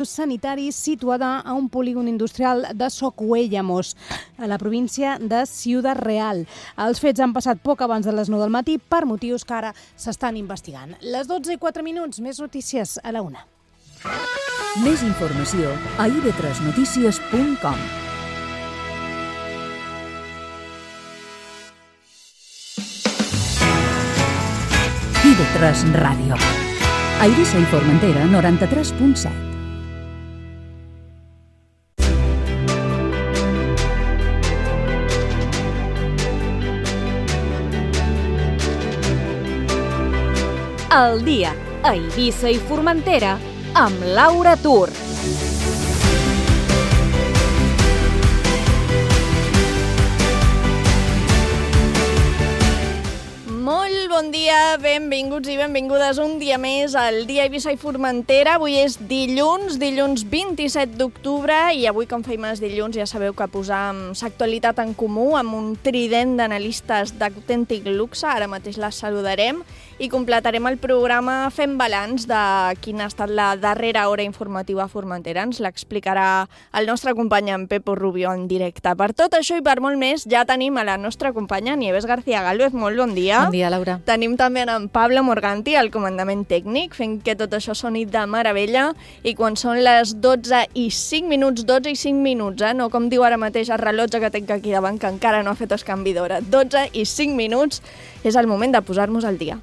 sanitari situada a un polígon industrial de Socuéllamos, a la província de Ciudad Real. Els fets han passat poc abans de les 9 del matí per motius que ara s'estan investigant. Les 12:04, més notícies a la 1. Més informació a ib3notícies.com. IB3 Ràdio. A Eivissa i Formentera, 93.7. El dia a Eivissa i Formentera amb Laura Tur. Molt bon dia, benvinguts i benvingudes un dia més al dia Eivissa i Formentera. Avui és dilluns 27 d'octubre i avui, com feim els dilluns, ja sabeu que posam l'actualitat en comú amb un trident d'analistes d'autèntic luxe. Ara mateix les saludarem i completarem el programa fent balanç de quina ha estat la darrera hora informativa a Formentera. Ens l'explicarà el nostre company en Pepo Rubio en directe. Per tot això i per molt més, ja tenim a la nostra companya Nieves García Gálvez. Molt bon dia. Bon dia, Laura. Tenim també en Pablo Morganti, al comandament tècnic, fent que tot això soni de meravella. I quan són les 12:05, no com diu ara mateix el rellotge que tinc aquí davant, que encara no ha fet el canvi d'hora. 12:05, és el moment de posar-nos al dia.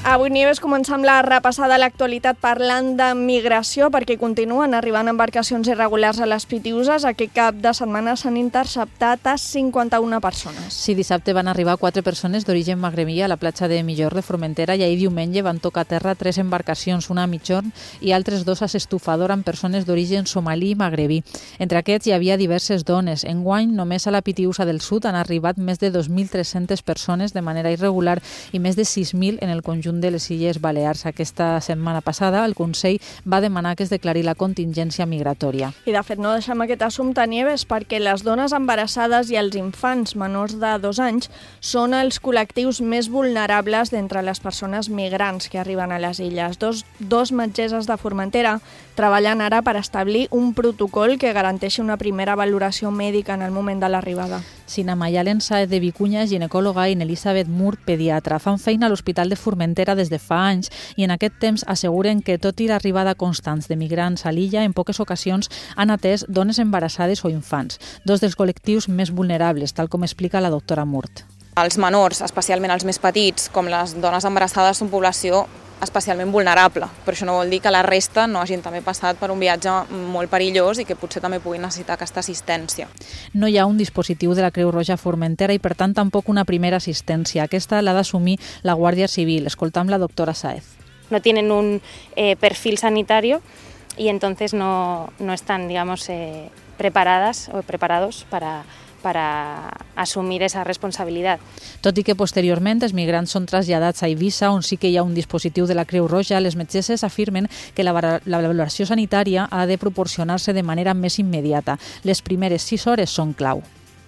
Avui, Nieves, començam la repassada a l'actualitat parlant de migració, perquè continuen arribant embarcacions irregulars a les Pitiüses. Aquest cap de setmana s'han interceptat a 51 persones. Sí, dissabte van arribar 4 persones d'origen magrebí a la platja de Millor de Formentera i ahir diumenge van tocar a terra 3 embarcacions, una a mitjorn i altres 2 a s'estufador amb persones d'origen somalí i magrebí. Entre aquests hi havia diverses dones. Enguany, només a la Pitiüsa del Sud han arribat més de 2.300 persones de manera irregular i més de 6.000 en el conjunt de les Illes Balears. Aquesta setmana passada el Consell va demanar que es declari la contingència migratòria. I de fet no deixem aquest assumpte, Nieves, perquè les dones embarassades i els infants menors de 2 anys són els col·lectius més vulnerables d'entre les persones migrants que arriben a les illes. Dos metgesses de Formentera treballen ara per establir un protocol que garanteixi una primera valoració mèdica en el moment de l'arribada. Sina Mayalen Saez de Vicuña, ginecòloga, i Elisabeth Mur, pediatra, fan feina a l'Hospital de Formentera des de fa anys i en aquest temps asseguren que, tot i l'arribada constants de migrants a l'illa, en poques ocasions han atès dones embarassades o infants, 2 dels col·lectius més vulnerables, tal com explica la doctora Murt. Els menors, especialment els més petits, com les dones embarassades, són població especialment vulnerable, però això no vol dir que la resta no hagin també passat per un viatge molt perillós i que potser també puguin necessitar aquesta assistència. No hi ha un dispositiu de la Creu Roja a Formentera i, per tant, tampoc una primera assistència. Aquesta l'ha d'assumir la Guàrdia Civil. Escoltam la doctora Saez. No tienen un perfil sanitario y entonces no están, digamos, preparadas o preparados para assumir esa responsabilitat. Tot i que posteriorment els migrants són traslladats a Eivissa, on sí que hi ha un dispositiu de la Creu Roja, les metgesses afirmen que la valoració sanitària ha de proporcionar-se de manera més immediata. Les primeres 6 hores són clau.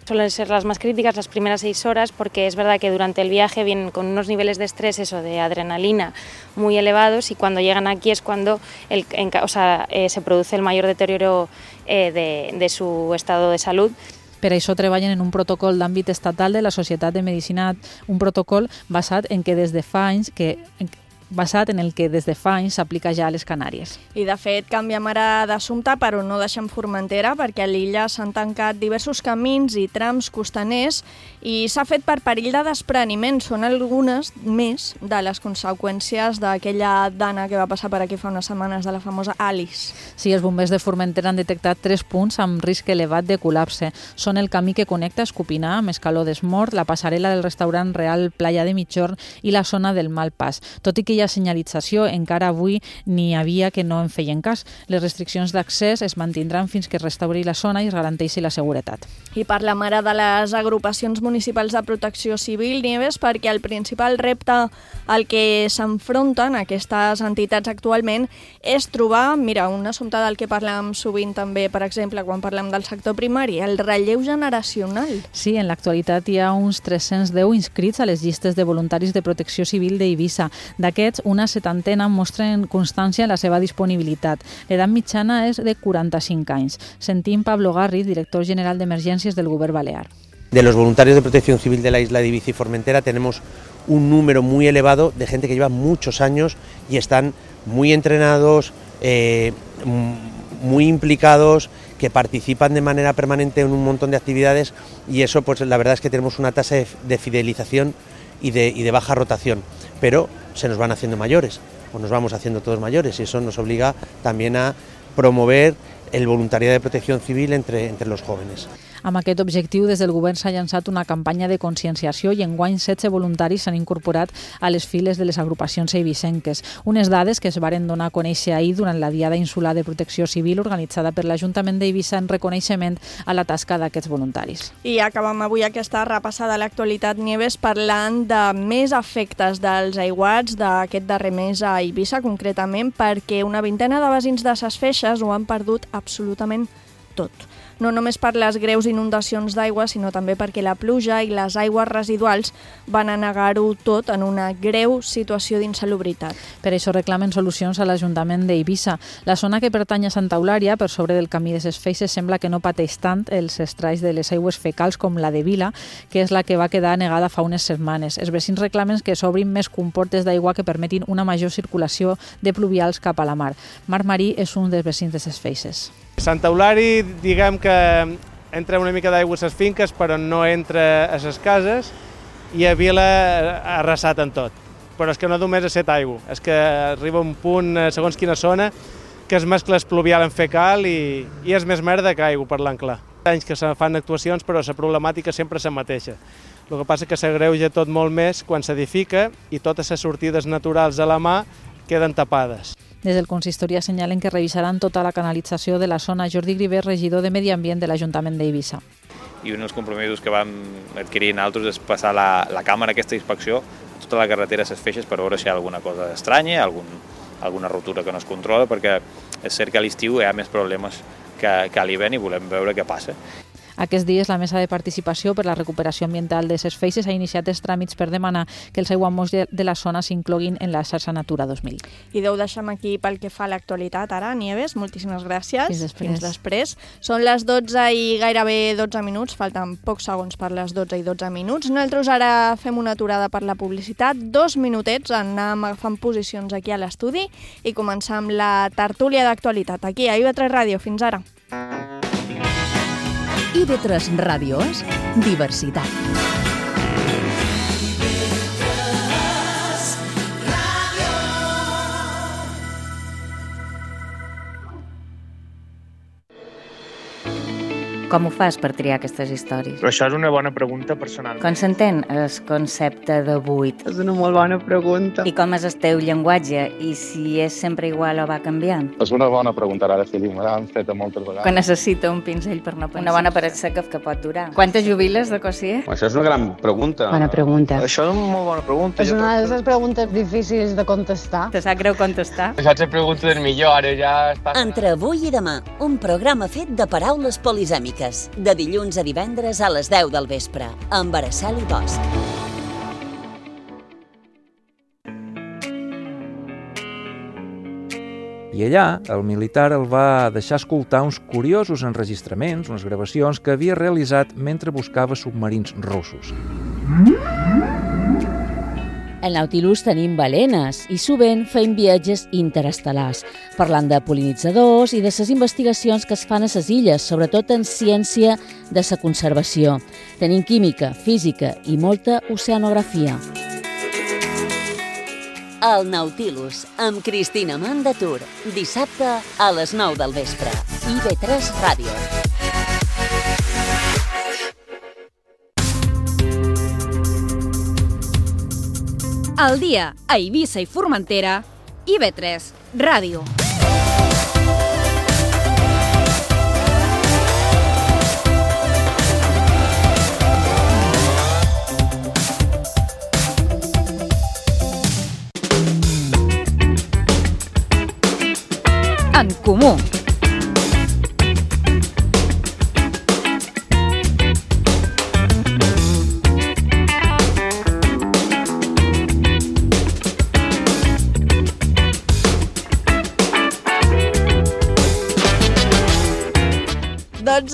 Suelen ser las más críticas las primeras 6 horas porque es verdad que durante el viaje vienen con unos niveles de estrés, de adrenalina muy elevados y cuando llegan aquí es cuando se produce el mayor deterioro de su estado de salud. Per això treballen en un protocol d'àmbit estatal de la Societat de Medicina, un protocol basat en el que des de fa anys s'aplica ja a les Canàries. I de fet canviem ara d'assumpte, però no deixem Formentera, perquè a l'illa s'han tancat diversos camins i trams costaners i s'ha fet per perill de despreniment. Són algunes més de les conseqüències d'aquella dana que va passar per aquí fa unes setmanes, de la famosa Alice. Sí, els bombers de Formentera han detectat 3 punts amb risc elevat de col·lapse. Són el camí que connecta Escopinar amb Escaló d'Esmort, la passarel·la del restaurant Real Playa de Mitjorn i la zona del Malpàs. Tot i que hi havia senyalització, encara avui n'hi havia que no en feien cas. Les restriccions d'accés es mantindran fins que es restauri la zona i es garanteixi la seguretat. I parlem ara de les agrupacions municipals de protecció civil, Nieves, perquè el principal repte al que s'enfronten aquestes entitats actualment és trobar, mira, un assumpte del que parlem sovint també, per exemple, quan parlem del sector primari, el relleu generacional. Sí, en l'actualitat hi ha uns 310 inscrits a les llistes de voluntaris de protecció civil d'Eivissa. D'aquests, una 70 mostren constància en la seva disponibilitat. L'edat mitjana és de 45 anys. Sentim Pablo Garri, director general d'Emergències del Govern Balear. De los voluntarios de protección civil de la isla de Ibiza y Formentera tenemos un número muy elevado de gente que lleva muchos años y están muy entrenados, muy implicados, que participan de manera permanente en un montón de actividades y eso, pues la verdad es que tenemos una tasa de fidelización y de baja rotación, pero se nos van haciendo mayores o nos vamos haciendo todos mayores y eso nos obliga también a promover el voluntariado de protección civil entre los jóvenes. Amb aquest objectiu, des del govern s'ha llançat una campanya de conscienciació i enguany 16 voluntaris s'han incorporat a les files de les agrupacions eivissenques. Unes dades que es varen donar a conèixer ahir durant la Diada Insular de Protecció Civil organitzada per l'Ajuntament d'Eivissa en reconeixement a la tasca d'aquests voluntaris. I acabem avui aquesta repassada a l'actualitat, Nieves, parlant de més efectes dels aiguats d'aquest darrer mes a Eivissa, concretament perquè una vintena de veïns de Ses Feixes ho han perdut absolutament tot. No només per les greus inundacions d'aigua, sinó també perquè la pluja i les aigües residuals van anegar-ho tot en una greu situació d'insalubritat. Per això reclamen solucions a l'Ajuntament d'Eivissa. La zona que pertany a Santa Eulària, per sobre del camí de Ses Feixes, sembla que no pateix tant els estralls de les aigües fecals com la de Vila, que és la que va quedar anegada fa unes setmanes. Els vecins reclamen que s'obrin més comportes d'aigua que permetin una major circulació de pluvials cap a la mar. Marc Marí és un dels vecins de Ses Feixes. Santa Eulària, diguem que entra una mica d'aigua a les finques, però no entra a les cases, i a Vila ha arrasat en tot. Però és que no només és set aigua, és que arriba un punt, segons quina zona, que es mescla el pluvial en fecal i és més merda que aigua, parlant clar. Anys que se fan actuacions, però la problemàtica sempre és la mateixa. El que passa és que s'agreuja tot molt més quan s'edifica i totes les sortides naturals a la mà queden tapades. Des del consistori assenyalen que revisaran tota la canalització de la zona. Jordi Griver, regidor de Medi Ambient de l'Ajuntament d'Eivissa. I un dels compromisos que vam adquirir nosaltres és passar la càmera aquesta inspecció a tota la carretera a Ses Feixes per veure si hi ha alguna cosa estranya, alguna rotura que no es controla, perquè és cert que a l'estiu hi ha més problemes que a l'hivern i volem veure què passa. Aquests dies, la Mesa de Participació per la Recuperació Ambiental de Ses Feixes ha iniciat els tràmits per demanar que els aiguamolls de la zona s'incloguin en la xarxa Natura 2000. I ho deixem aquí pel que fa a l'actualitat. Ara, Nieves, moltíssimes gràcies. Fins després. Són les 12 i gairebé 12 minuts. Falten pocs segons per les 12 i 12 minuts. Nosaltres ara fem una aturada per la publicitat. 2 minutets, anem agafant posicions aquí a l'estudi i començar amb la tertúlia d'actualitat. Aquí, a IB3 Ràdio. Fins ara. IB3 Ràdio és diversitat. Com ho fas per triar aquestes històries? Però això és una bona pregunta personal. Com s'entén el concepte de buit? És una molt bona pregunta. I com és el teu llenguatge? I si és sempre igual o va canviant? És una bona pregunta, ara sí, me l'han fet moltes vegades. Quan necessita un pinzell per no pensar. Una bona paret seca que pot durar. Quantes jubiles de Cossier? Això és una gran pregunta. Bona pregunta. Això és una molt bona pregunta. És una de les preguntes difícils de contestar. Te sap greu contestar? Això és la pregunta del millor, ara ja està... Entre avui i demà, un programa fet de paraules polisèmiques. De dilluns a divendres a les 10 del vespre, amb Araceli Bosch. I allà, el militar el va deixar escoltar uns curiosos enregistraments, unes gravacions que havia realitzat mentre buscava submarins russos. Al Nautilus tenim balenes i sovint fem viatges interestel·lars, parlant de pol·linitzadors i de les investigacions que es fan a les illes, sobretot en ciència de la conservació. Tenim química, física i molta oceanografia. El Nautilus, amb Cristina Mandatur, dissabte a les 9 del vespre. IB3 Ràdio. Al dia a Eivissa i Formentera, IB3 Ràdio. En comú.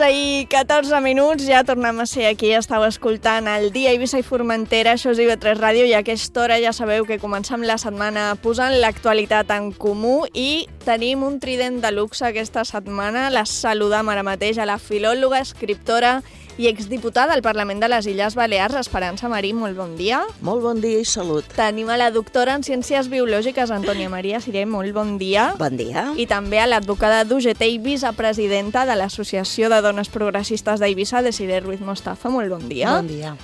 I 14 minuts, ja tornem a ser aquí. Estàu escoltant el dia Eivissa i Formentera, això és IB3 Ràdio, i a aquesta hora ja sabeu que comencem la setmana posant l'actualitat en comú i tenim un trident de luxe aquesta setmana. La saludam ara mateix a la filòloga, escriptora i exdiputada al Parlament de les Illes Balears, Esperança Marí. Molt bon dia. Molt bon dia i salut. Tenim a la doctora en Ciències Biològiques, Antònia Maria Siré. Molt bon dia. Bon dia. I també a l'advocada d'UGT i vicepresidenta de l'Associació de Dones Progressistes d'Eivissa, Desiré Ruiz Mostafa. Molt bon dia. Bon dia.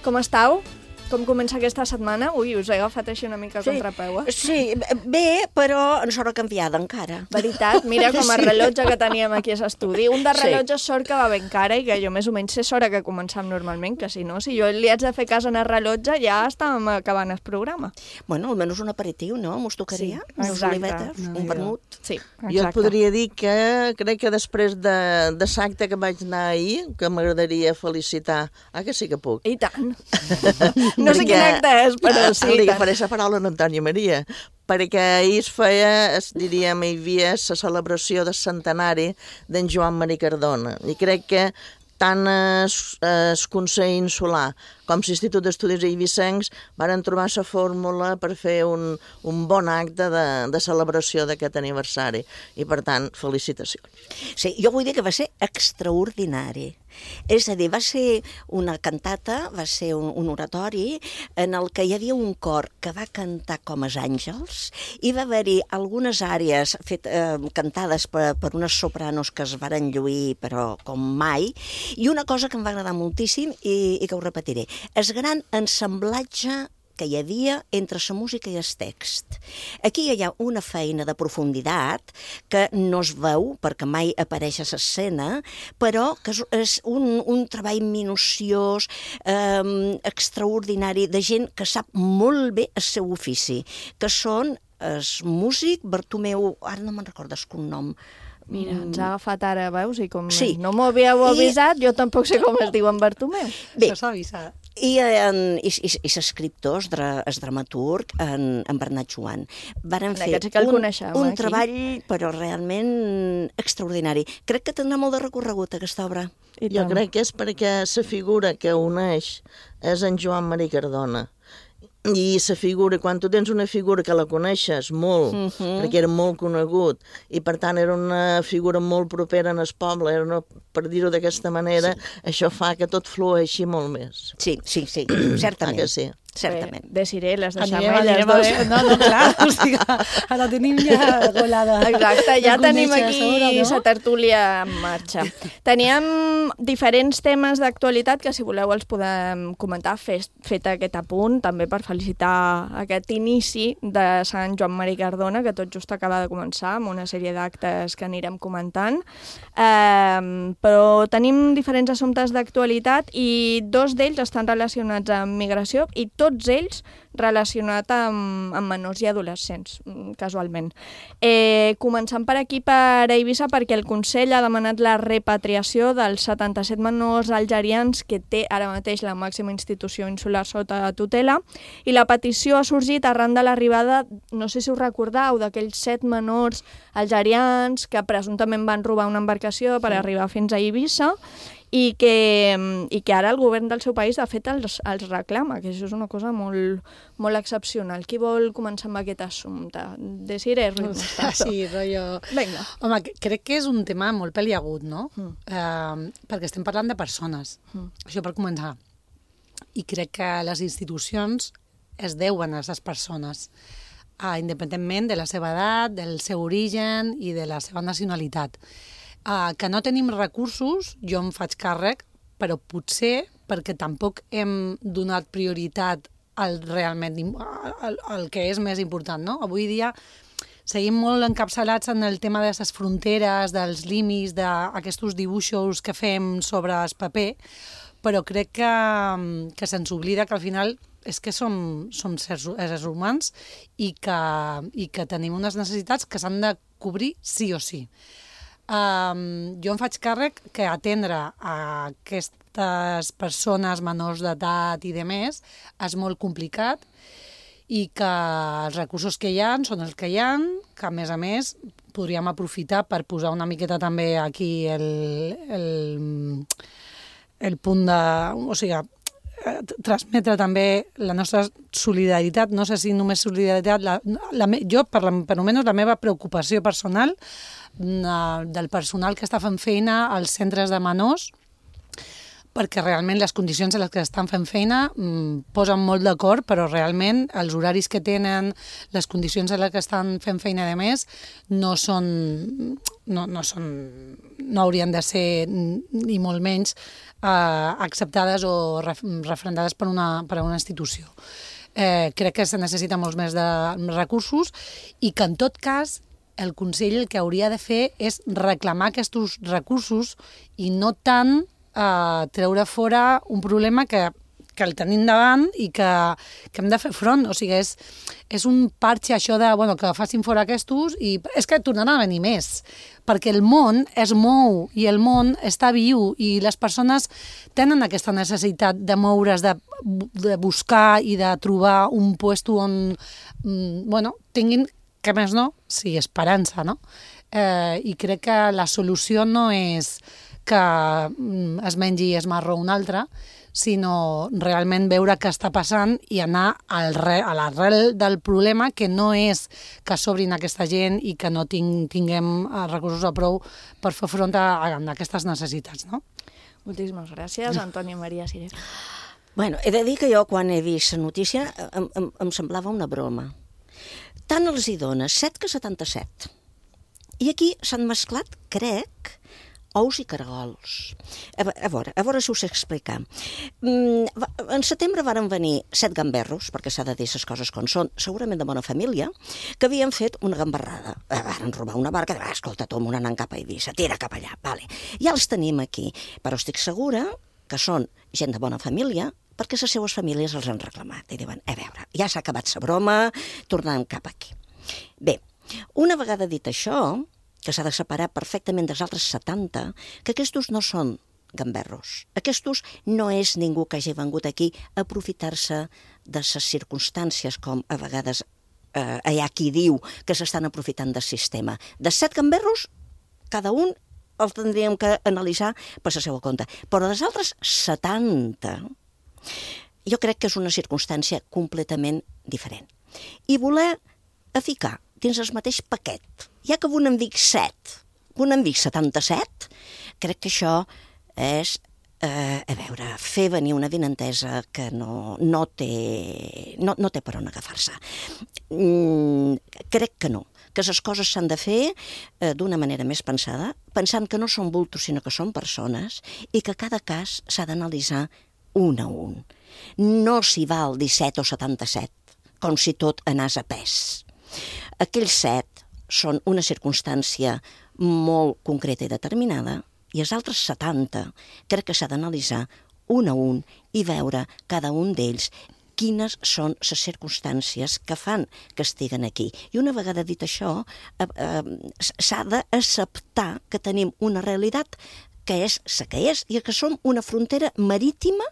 Com estàu? Com comença aquesta setmana? Ui, us he agafat així una mica contrapeu, eh? Sí, bé, però ens haurà canviat encara. Veritat? Mira com a rellotge que teníem aquí a l'estudi. Un de rellotge sort que va ben cara i que jo més o menys sé l'hora que començam normalment, que si no, si jo li haig de fer cas en el rellotge ja estàvem acabant el programa. Bueno, almenys un aperitiu, no? Mos tocaria? Sí, exacte. Un vermut? Sí, exacte. Jo et podria dir que crec que després de l'acte que vaig anar ahir, que m'agradaria felicitar. Ah, que sí que puc? I tant. No sé quin acte és, però sí. Li faré la paraula a Antònia Maria, perquè ahir es feia, diríem, hi havia la celebració del centenari d'en Joan Marí Cardona. I crec que tant el Consell Insular com l'Institut d'Estudis Eivissencs varen trobar la fórmula per fer un bon acte de celebració d'aquest aniversari. I, per tant, felicitacions. Sí, jo vull dir que va ser extraordinari. És a dir, va ser una cantata, va ser un oratori en el que hi havia un cor que va cantar com els àngels i va haver-hi algunes àrees cantades per unes sopranos que es varen lluir, però com mai, i una cosa que em va agradar moltíssim i que ho repetiré. El gran ensamblatge que hi havia entre la música i el text. Aquí hi ha una feina de profunditat que no es veu perquè mai apareix a l'escena, però que és un treball minuciós, extraordinari, de gent que sap molt bé el seu ofici, que són el músic Bartomeu, ara no me'n recordo el cognom. Mira, ens ha agafat ara, veus? I com no m'ho havíeu avisat, jo tampoc sé com es diu en Bartomeu. Bé, això s'ha avisat. I l'escriptor, el dramaturg, en Bernat Joan, varen fer un treball, però realment extraordinari. Crec que tindrà molt de recorregut aquesta obra. Jo crec que és perquè la figura que uneix és en Joan Marí Cardona. I la figura, quan tu tens una figura que la coneixes molt, perquè era molt conegut, i per tant era una figura molt propera en el poble, per dir-ho d'aquesta manera, això fa que tot flueixi molt més. Sí, certament. Que sí? Certament. Desiré, les deixem elles dos. No, clar, o sigui, ara tenim ja golada. Exacte, ja tenim aquí la tertúlia en marxa. Teníem diferents temes d'actualitat que, si voleu, els podem comentar, fet aquest apunt, també per felicitar aquest inici de Sant Joan Marí Cardona, que tot just acaba de començar, amb una sèrie d'actes que anirem comentant. Però tenim diferents assumptes d'actualitat i dos d'ells estan relacionats amb migració i tots ells relacionats amb menors i adolescents, casualment. Començant per aquí, per Eivissa, perquè el Consell ha demanat la repatriació dels 77 menors algerians que té ara mateix la màxima institució insular sota tutela, i la petició ha sorgit arran de l'arribada, no sé si us recordeu, d'aquells 7 menors algerians que presumptament van robar una embarcació per arribar fins a Eivissa, i que ara el govern del seu país, de fet, els reclama, que això és una cosa molt excepcional. Qui vol començar amb aquest assumpte? Desiré Ruiz Mostafa. Sí, rotllo... Vinga. Home, crec que és un tema molt peliagut, no? Perquè estem parlant de persones. Això per començar. I crec que les institucions es deuen a les persones, independentment de la seva edat, del seu origen i de la seva nacionalitat. Que no tenim recursos, jo em faig càrrec, però potser perquè tampoc hem donat prioritat realment el que és més important, no? Avui dia seguim molt encapçalats en el tema de les fronteres, dels límits, d'aquests dibuixos que fem sobre el paper, però crec que se'ns oblida que al final és que som éssers humans i que tenim unes necessitats que s'han de cobrir sí o sí. Jo em faig càrrec que atendre a aquestes persones menors d'edat i demés és molt complicat i que els recursos que hi ha són els que hi ha, que a més podríem aprofitar per posar una miqueta també aquí el punt de... O sigui, transmetre també la nostra solidaritat, no sé si només solidaritat, jo, per almenys la meva preocupació personal del personal que està fent feina als centres de menors, perquè realment les condicions en les que estan fent feina posen molt d'acord, però realment els horaris que tenen, les condicions en les que estan fent feina de més, no haurien de ser ni molt menys acceptades o referendades per una institució. Crec que se necessita molts més de recursos i que en tot cas el Consell el que hauria de fer és reclamar aquests recursos i no tant treure fora un problema que el tenim davant i que hem de fer front. O sigui, és un parche això de que facin fora aquests i és que tornaran a venir més, perquè el món es mou i el món està viu i les persones tenen aquesta necessitat de moure's, de buscar i de trobar un puesto on tinguin, que més no, sí, esperança, no? I crec que la solució no és que es mengi es marró un altre, sinó realment veure què està passant i anar a l'arrel del problema, que no és que sobrin aquesta gent i que no tinguem recursos a prou per fer front a aquestes necessitats, no? Moltíssimes gràcies, Antònia Maria Siré. Bueno, he de dir que jo quan he vist la notícia em semblava una broma. Tant els hi dona 7 que 77. I aquí s'han mesclat, crec, ous i caragols. A veure si us sé explicar. En setembre varen venir 7 gamberros, perquè s'ha de dir les coses com són, segurament de bona família, que havien fet una gamberrada. Varen robar una barca, escolta, Tom, anant cap a Eivissa, tira cap allà, vale. Ja els tenim aquí, però estic segura que són gent de bona família, perquè les seues famílies els han reclamat. I diuen, a veure, ja s'ha acabat la broma, tornem cap aquí. Bé, una vegada dit això, que s'ha de separar perfectament dels altres 70, que aquests no són gamberros. Aquests no és ningú que hagi vengut aquí a aprofitar-se de les circumstàncies, com a vegades hi ha qui diu que s'estan aprofitant del sistema. De 7 gamberros, cada un els tindríem que analitzar per la seva compte. Però dels altres 70, jo crec que és una circumstància completament diferent. I voler ficar dins el mateix paquet, ja que un en dic 7, un en dic 77, crec que això és, fer venir una avinentesa que no té per on agafar-se. Crec que no, que les coses s'han de fer d'una manera més pensada, pensant que no són bultos sinó que són persones i que cada cas s'ha d'analitzar un a un. No s'hi val 17 o 77, com si tot anés a pes. Aquells 7 són una circumstància molt concreta i determinada i els altres 70 crec que s'ha d'analitzar un a un i veure cada un d'ells quines són les circumstàncies que fan que estiguen aquí. I una vegada dit això, s'ha d'acceptar que tenim una realitat que és la que és i que som una frontera marítima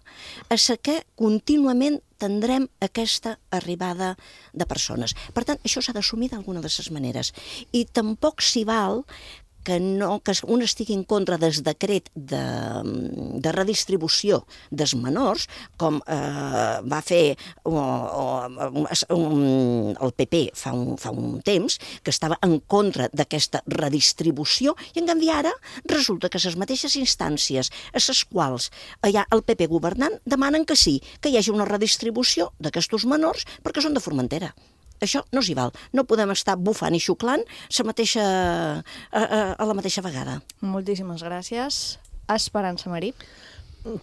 a la que contínuament tindrem aquesta arribada de persones. Per tant, això s'ha d'assumir d'alguna de les maneres. I tampoc s'hi val que un estigui en contra del decret de redistribució dels menors, com va fer el PP fa un temps, que estava en contra d'aquesta redistribució, i en canvi ara resulta que les mateixes instàncies a les quals hi ha el PP governant demanen que sí, que hi hagi una redistribució d'aquests menors perquè són de Formentera. Això no s'hi val. No podem estar bufant i xuclant a la mateixa vegada. Moltíssimes gràcies. Esperança Marí.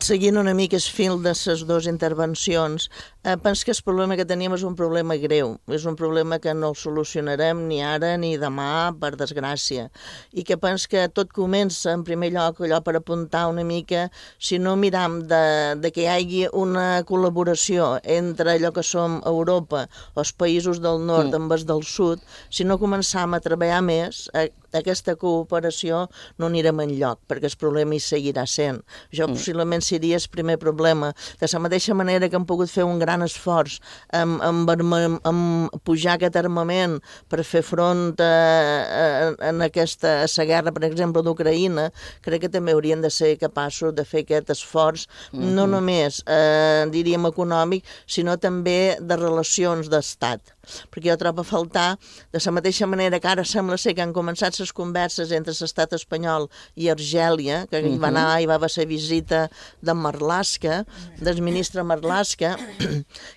Seguint una mica el fil de les dues intervencions, Penso que el problema que tenim és un problema greu, és un problema que no el solucionarem ni ara ni demà, per desgràcia, i que penso que tot comença, en primer lloc, allò per apuntar una mica, si no miram de que hi hagi una col·laboració entre allò que som Europa, els països del nord amb els del sud, si no començam a treballar més, aquesta cooperació no anirem enlloc, perquè el problema hi seguirà sent. Això possiblement seria el primer problema. De la mateixa manera que hem pogut fer un gran esforç en pujar aquest armament per fer front a la guerra, per exemple, d'Ucraïna, crec que també haurien de ser capaços de fer aquest esforç, no només, diríem, econòmic, sinó també de relacions d'estat. Perquè jo trobo a faltar, de la mateixa manera que ara sembla ser que han començat les converses entre l'estat espanyol i Argèlia, que hi va anar, hi va haver la visita de Marlaska, del ministre Marlaska,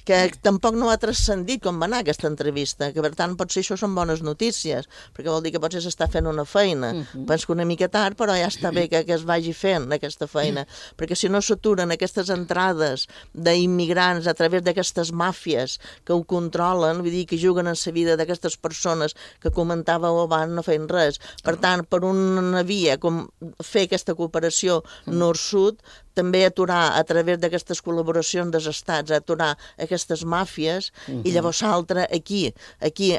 que tampoc no ha transcendit com va anar aquesta entrevista, que per tant potser això són bones notícies, perquè vol dir que potser s'està fent una feina. Penso que una mica tard, però ja està bé que es vagi fent aquesta feina, perquè si no s'aturen aquestes entrades d'immigrants a través d'aquestes màfies que ho controlen, vull dir que juguen en la vida d'aquestes persones que comentàveu abans, no feien res. Per tant, per una via, com fer aquesta cooperació nord-sud, també aturar a través d'aquestes col·laboracions dels estats, aturar aquestes màfies, i llavors l'altre aquí,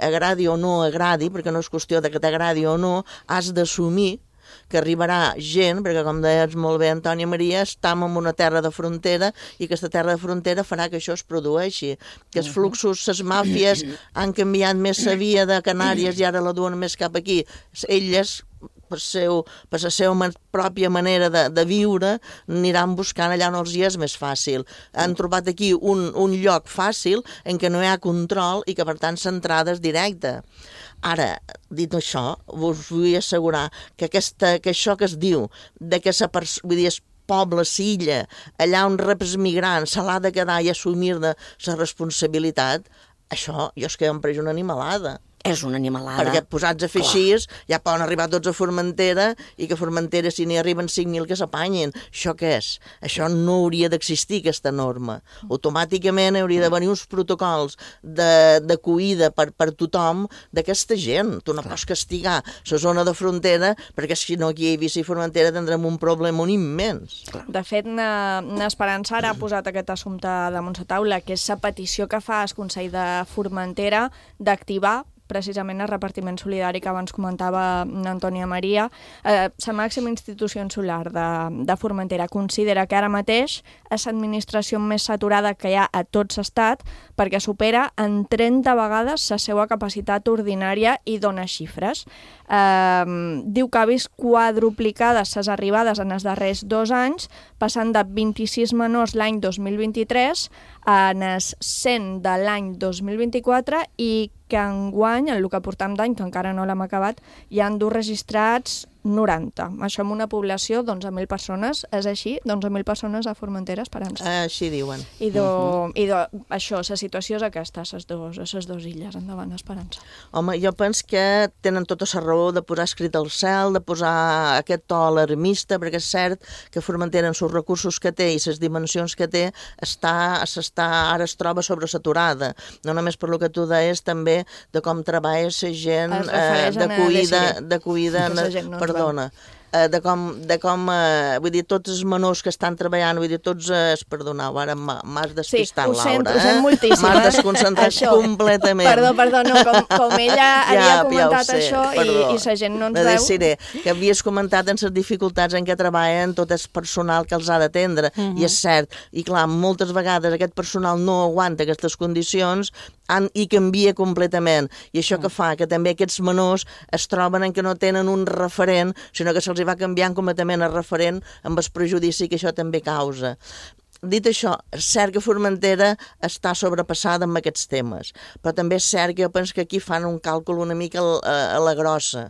agradi o no agradi, perquè no és qüestió de que t'agradi o no, has d'assumir que arribarà gent, perquè com deies molt bé Antònia Maria, estem en una terra de frontera i aquesta terra de frontera farà que això es produeixi, que els fluxos, les màfies han canviat més la via de Canàries i ara la duen més cap aquí. Elles, per la seva pròpia manera de viure, aniran buscant allà on els hi és més fàcil. Han trobat aquí un lloc fàcil en què no hi ha control i que per tant l'entrada és directa. Ara, dit això, us vull assegurar que això que es diu, de que el poble, l'illa, allà on rep els migrants, se l'ha de quedar i assumir-ne la responsabilitat, això jo és que em pres una animalada. És una animalada. Perquè posats a fer així, ja poden arribar tots a Formentera i que a Formentera, si n'hi arriben 5.000, que s'apanyin. Això què és? Això no hauria d'existir, aquesta norma. Automàticament hauria d'haver uns protocols d'acollida per tothom d'aquesta gent. Tu no pots castigar la zona de frontera perquè si no aquí a Eivissa i Formentera tindrem un problema immens. De fet, n'Esperança ara ha posat aquest assumpte damunt la taula, que és la petició que fa el Consell de Formentera d'activar precisament el repartiment solidari que abans comentava Antònia Maria. La màxima institució insular de Formentera considera que ara mateix és l'administració més saturada que hi ha a tot l'estat perquè supera en 30 vegades la seva capacitat ordinària i dona xifres. Diu que ha vist quadruplicades les arribades en els darrers 2 anys, passant de 26 menors l'any 2023 en els 100 de l'any 2024 i que enguany, en el que portam d'any, que encara no l'hem acabat, hi han registrats 90. Això amb una població d'11.000 persones. És així? D'11.000 persones a Formentera, Esperança. Així diuen. I això, la situació és aquesta, a les dues illes. Endavant, Esperança. Home, jo penso que tenen tota la raó de posar escrit al cel, de posar aquest to alarmista, perquè és cert que Formentera, amb els recursos que té i les dimensions que té, ara es troba sobresaturada. No només per lo que tu deies, també de com treballa la gent d'acollida, perdona, de com vull dir, tots els menors que estan treballant, vull dir, tots, perdoneu, ara m'has despistat, Laura. Sí, ho sent moltíssim. M'has desconcentrat completament. Perdó, no, com ella havia comentat això i la gent no ens veu. Diré que havies comentat en les dificultats en què treballen tot el personal que els ha d'atendre, i és cert, i clar, moltes vegades aquest personal no aguanta aquestes condicions i canvia completament, i això que fa que també aquests menors es troben en que no tenen un referent, sinó que se'ls va canviant completament el referent amb el prejudici que això també causa. Dit això, és cert que Formentera està sobrepassada amb aquests temes, però també és cert que jo penso que aquí fan un càlcul una mica a la grossa,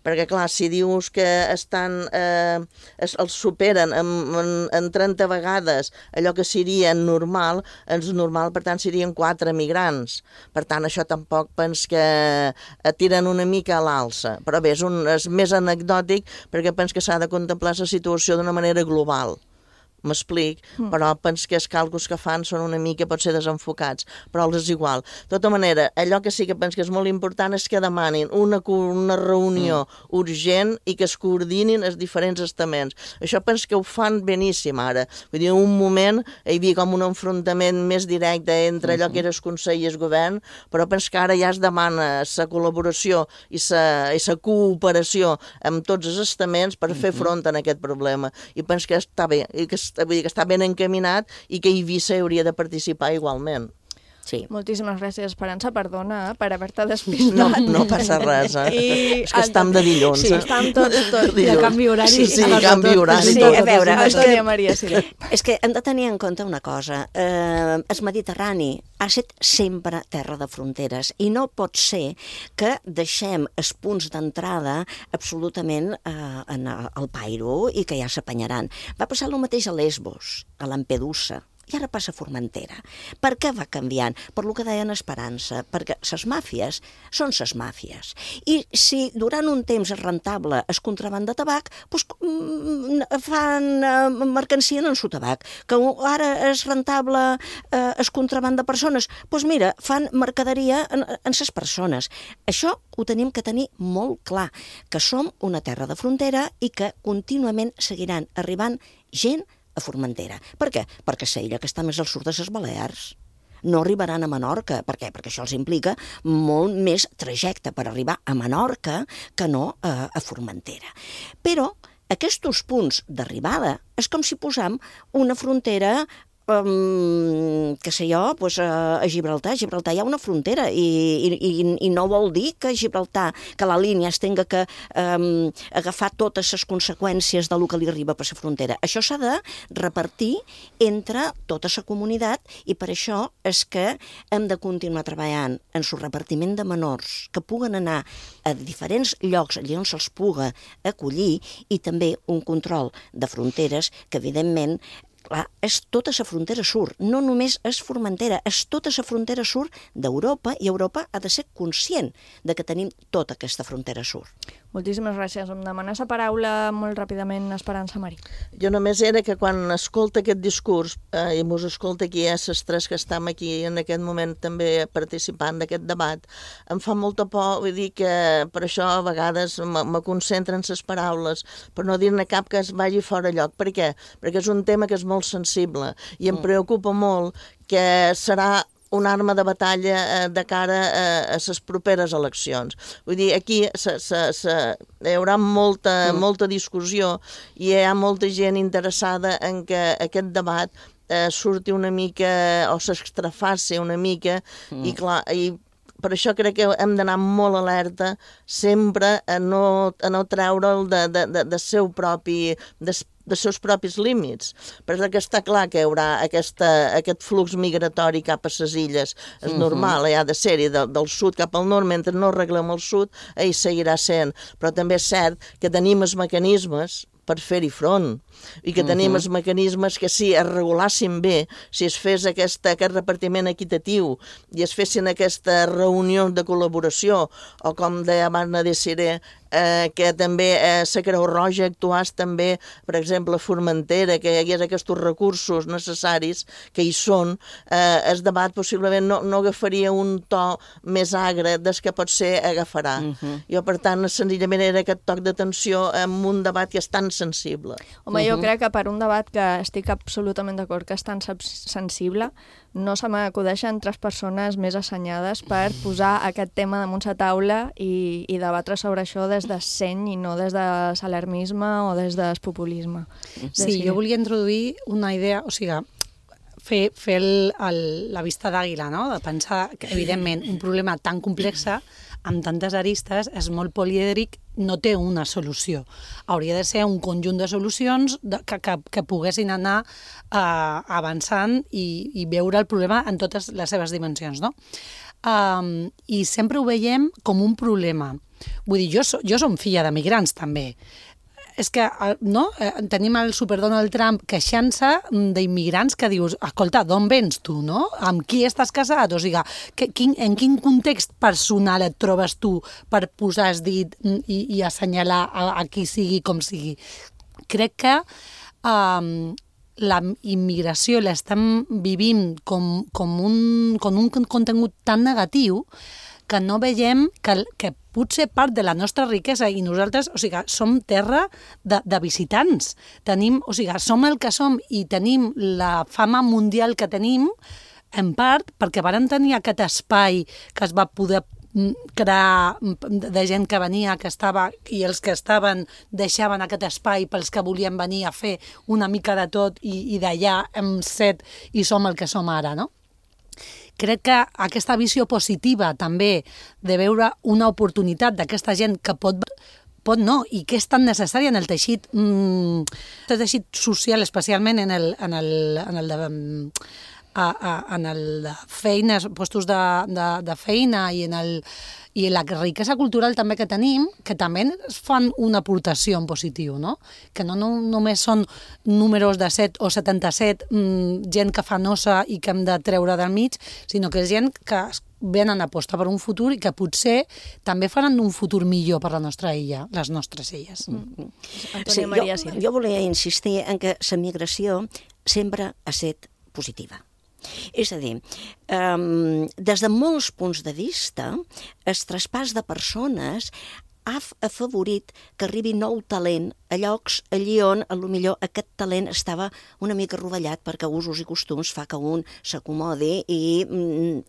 perquè clar, si dius que els superen en 30 vegades allò que seria normal, per tant serien 4 migrants, per tant això tampoc penso que tiren una mica a l'alça, però bé, és més anecdòtic perquè penso que s'ha de contemplar la situació d'una manera global. m'explic, però penso que els càlculs que fan són una mica, potser desenfocats, però és igual. De tota manera, allò que sí que penso que és molt important és que demanin una reunió urgent i que es coordinin els diferents estaments. Això penso que ho fan beníssim ara. Vull dir, en un moment hi havia com un enfrontament més directe entre allò que era el Consell i el Govern, però penso que ara ja es demana la col·laboració i la cooperació amb tots els estaments per fer front a aquest problema. I penso que està bé, vull dir que està ben encaminat i que Eivissa hauria de participar igualment. Sí. Moltíssimes gràcies, Esperança, perdona per haver-te despistat. No passa res, és que estem de dilluns. Sí, estem tots de canvi horari. Sí, canvi horari. Sí, a veure, és que hem de tenir en compte una cosa. El Mediterrani ha estat sempre terra de fronteres i no pot ser que deixem els punts d'entrada absolutament al pairo i que ja s'apanyaran. Va passar el mateix a Lesbos, a Lampedusa, i ara passa a Formentera. Per què va canviant? Per lo que deien Esperança, perquè les màfies són les màfies. I si durant un temps és rentable el contraban de tabac, doncs fan mercancia en el tabac. Que ara és rentable el contraban de persones, doncs mira, fan mercaderia en les persones. Això ho tenim que tenir molt clar, que som una terra de frontera i que contínuament seguiran arribant gent a Formentera. Per què? Perquè és l'illa que està més al sud de les Balears. No arribaran a Menorca. Per què? Perquè això els implica molt més trajecte per arribar a Menorca que no a Formentera. Però aquests punts d'arribada és com si posam una frontera que sé jo, a Gibraltar. A Gibraltar hi ha una frontera i no vol dir que Gibraltar, que la línia es tenga que agafar totes les conseqüències del que li arriba per la frontera. Això s'ha de repartir entre tota la comunitat i per això és que hem de continuar treballant en el repartiment de menors que puguen anar a diferents llocs allà on se'ls puga acollir i també un control de fronteres que evidentment és tota la frontera sud, no només és Formentera, és tota la frontera sud d'Europa i Europa ha de ser conscient de que tenim tota aquesta frontera sud. Moltíssimes gràcies. Em demanes la paraula molt ràpidament, Esperança Marí. Jo només era que quan escolta aquest discurs, i mos escolta aquí les tres que estem aquí en aquest moment també participant d'aquest debat, em fa molta por, vull dir que per això a vegades me concentren les paraules, per no dir-ne cap que es vagi fora lloc. Per què? Perquè és un tema que és molt sensible i em preocupa molt que serà una arma de batalla de cara a les properes eleccions. Vull dir, aquí hi haurà molta discussió i hi ha molta gent interessada en que aquest debat surti una mica o s'extrafaci una mica i clar, i per això crec que hem d'anar molt alerta sempre a no treure'l dels seus propis límits, perquè està clar que hi haurà aquest flux migratori cap a les illes. És normal, ha de ser-hi del sud cap al nord, mentre no arreglem el sud, hi seguirà sent. Però també és cert que tenim els mecanismes per fer-hi front, i que tenim els mecanismes que si es regulassin bé, si es fes aquest repartiment equitatiu i es fessin aquesta reunió de col·laboració, o com deia abans Desiré, que també la Creu Roja actués també, per exemple, a Formentera, que hi hagués aquests recursos necessaris que hi són, el debat possiblement no agafaria un to més agre des que potser agafarà. Jo, per tant, senzillament era aquest toc d'atenció en un debat que és tan sensible. Home, jo crec que per un debat que estic absolutament d'acord que és tan sensible, no se m'acudeixen tres persones més assenyades per posar aquest tema damunt la taula i debatre sobre això des de seny i no des de l'alarmisme o des del populisme. Sí, jo volia introduir una idea, o sigui, fer la vista d'àguila, no? De pensar que, evidentment, un problema tan complex amb tantes aristes és molt polièdric, no té una solució. Hauria de ser un conjunt de solucions que poguessin anar avançant i veure el problema en totes les seves dimensions, no? I sempre ho veiem com un problema. Vull dir, jo som filla de migrants, també. És que tenim el super Donald Trump queixant-se d'immigrants que dius, escolta, d'on vens tu, no? Amb qui estàs casat? O sigui, en quin context personal et trobes tu per posar el dit i assenyalar a qui sigui com sigui? Crec que la immigració l'estem vivint com un contingut tan negatiu que no veiem que potser part de la nostra riquesa i nosaltres, o sigui, som terra de visitants. Som el que som i tenim la fama mundial que tenim en part perquè varen tenir aquest espai que es va poder crear de gent que venia, que estava, i els que estaven deixaven aquest espai pels que volien venir a fer una mica de tot i d'allà hem set i som el que som ara, no? Crec que aquesta visió positiva també de veure una oportunitat d'aquesta gent que pot no, i que és tan necessària en el teixit social, especialment en el feines, puestos de feina i en la riquesa cultural també que tenim, que també es fan una aportació en positiu, no? Que no només són números de 7 o 77, gent que fa nosa i que hem de treure del mig, sinó que és gent que venen a apostar per un futur i que potser també faran un futur millor per la nostra illa, les nostres illes. Sí, jo volia insistir en que la migració sempre ha estat positiva. És a dir, des de molts punts de vista, el traspàs de persones ha afavorit que arribi nou talent a llocs allí on potser aquest talent estava una mica rovellat perquè usos i costums fa que un s'acomodi i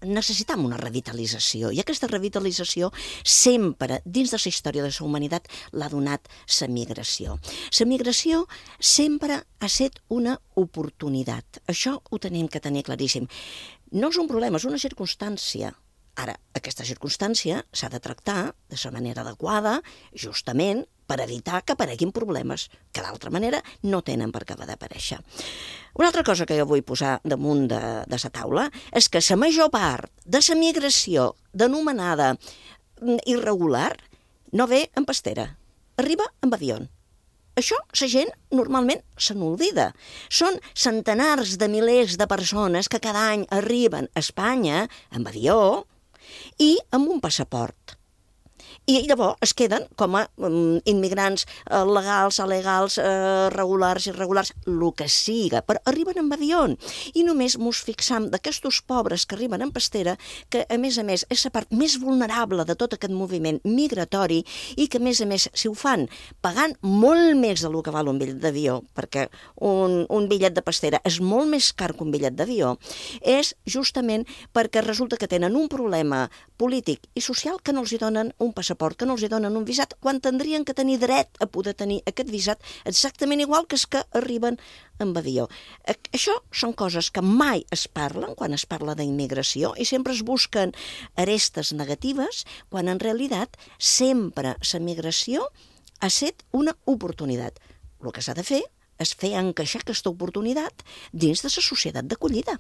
necessitam una revitalització. I aquesta revitalització sempre, dins de la història de la humanitat, l'ha donat la migració. La migració sempre ha estat una oportunitat. Això ho tenim que tenir claríssim. No és un problema, és una circumstància. Ara, aquesta circumstància s'ha de tractar de la manera adequada, justament per evitar que apareguin problemes que d'altra manera no tenen per què d'aparèixer. Una altra cosa que jo vull posar damunt de la taula és que la major part de la migració denominada irregular no ve en pastera, arriba en avió. Això la gent normalment se n'oblida. Són centenars de milers de persones que cada any arriben a Espanya amb avió i amb un passaport. I llavors es queden com a immigrants legals, alegals, regulars, irregulars, el que siga, però arriben amb avió. I només ens fixam d'aquests pobres que arriben en pastera, que a més, és la part més vulnerable de tot aquest moviment migratori i que a més, si ho fan pagant molt més del que val un bitllet d'avió, perquè un bitllet de pastera és molt més car que un bitllet d'avió, és justament perquè resulta que tenen un problema polític i social que no els hi donen un passaport, que no els hi donen un visat, quan tindrien que tenir dret a poder tenir aquest visat exactament igual que els que arriben amb avió. Això són coses que mai es parlen quan es parla d'immigració i sempre es busquen arestes negatives, quan en realitat sempre la migració ha estat una oportunitat. El que s'ha de fer és fer encaixar aquesta oportunitat dins de la societat d'acollida.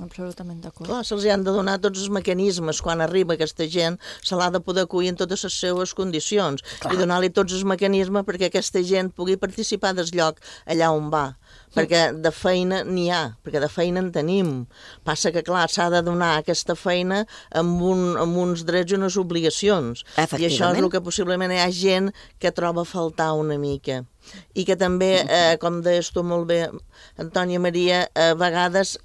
Absolutament d'acord. Clar, se'ls han de donar tots els mecanismes quan arriba aquesta gent, se l'ha de poder acollir en totes les seves condicions i donar-li tots els mecanismes perquè aquesta gent pugui participar del lloc allà on va. Perquè de feina n'hi ha, perquè de feina en tenim. Passa que, clar, s'ha de donar aquesta feina amb uns drets i unes obligacions. I això és el que possiblement hi ha gent que troba a faltar una mica. I que també, com deies tu molt bé, Antònia Maria, a vegades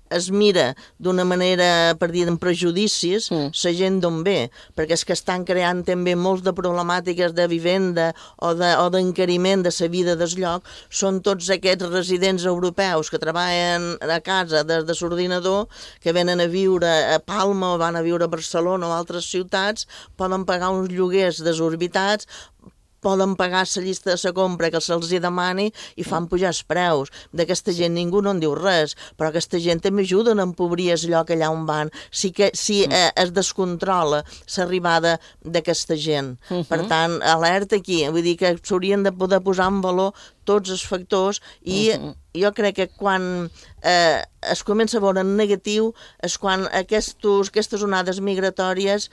es mira d'una manera, per dir, amb prejudicis, la gent d'on ve, perquè és que estan creant també molts de problemàtiques de vivenda o d'encariment de la vida del lloc, són tots aquests residents europeus que treballen a casa des de l'ordinador, que venen a viure a Palma o van a viure a Barcelona o a altres ciutats, poden pagar uns lloguers desorbitats, poden pagar la llista de la compra que se'ls demani i fan pujar els preus. D'aquesta gent ningú no en diu res, però aquesta gent també ajuden a empobrir el lloc allà on van si es descontrola l'arribada d'aquesta gent. Per tant, alerta aquí, vull dir que s'haurien de poder posar en valor tots els factors i jo crec que quan es comença a veure en negatiu és quan aquestes onades migratòries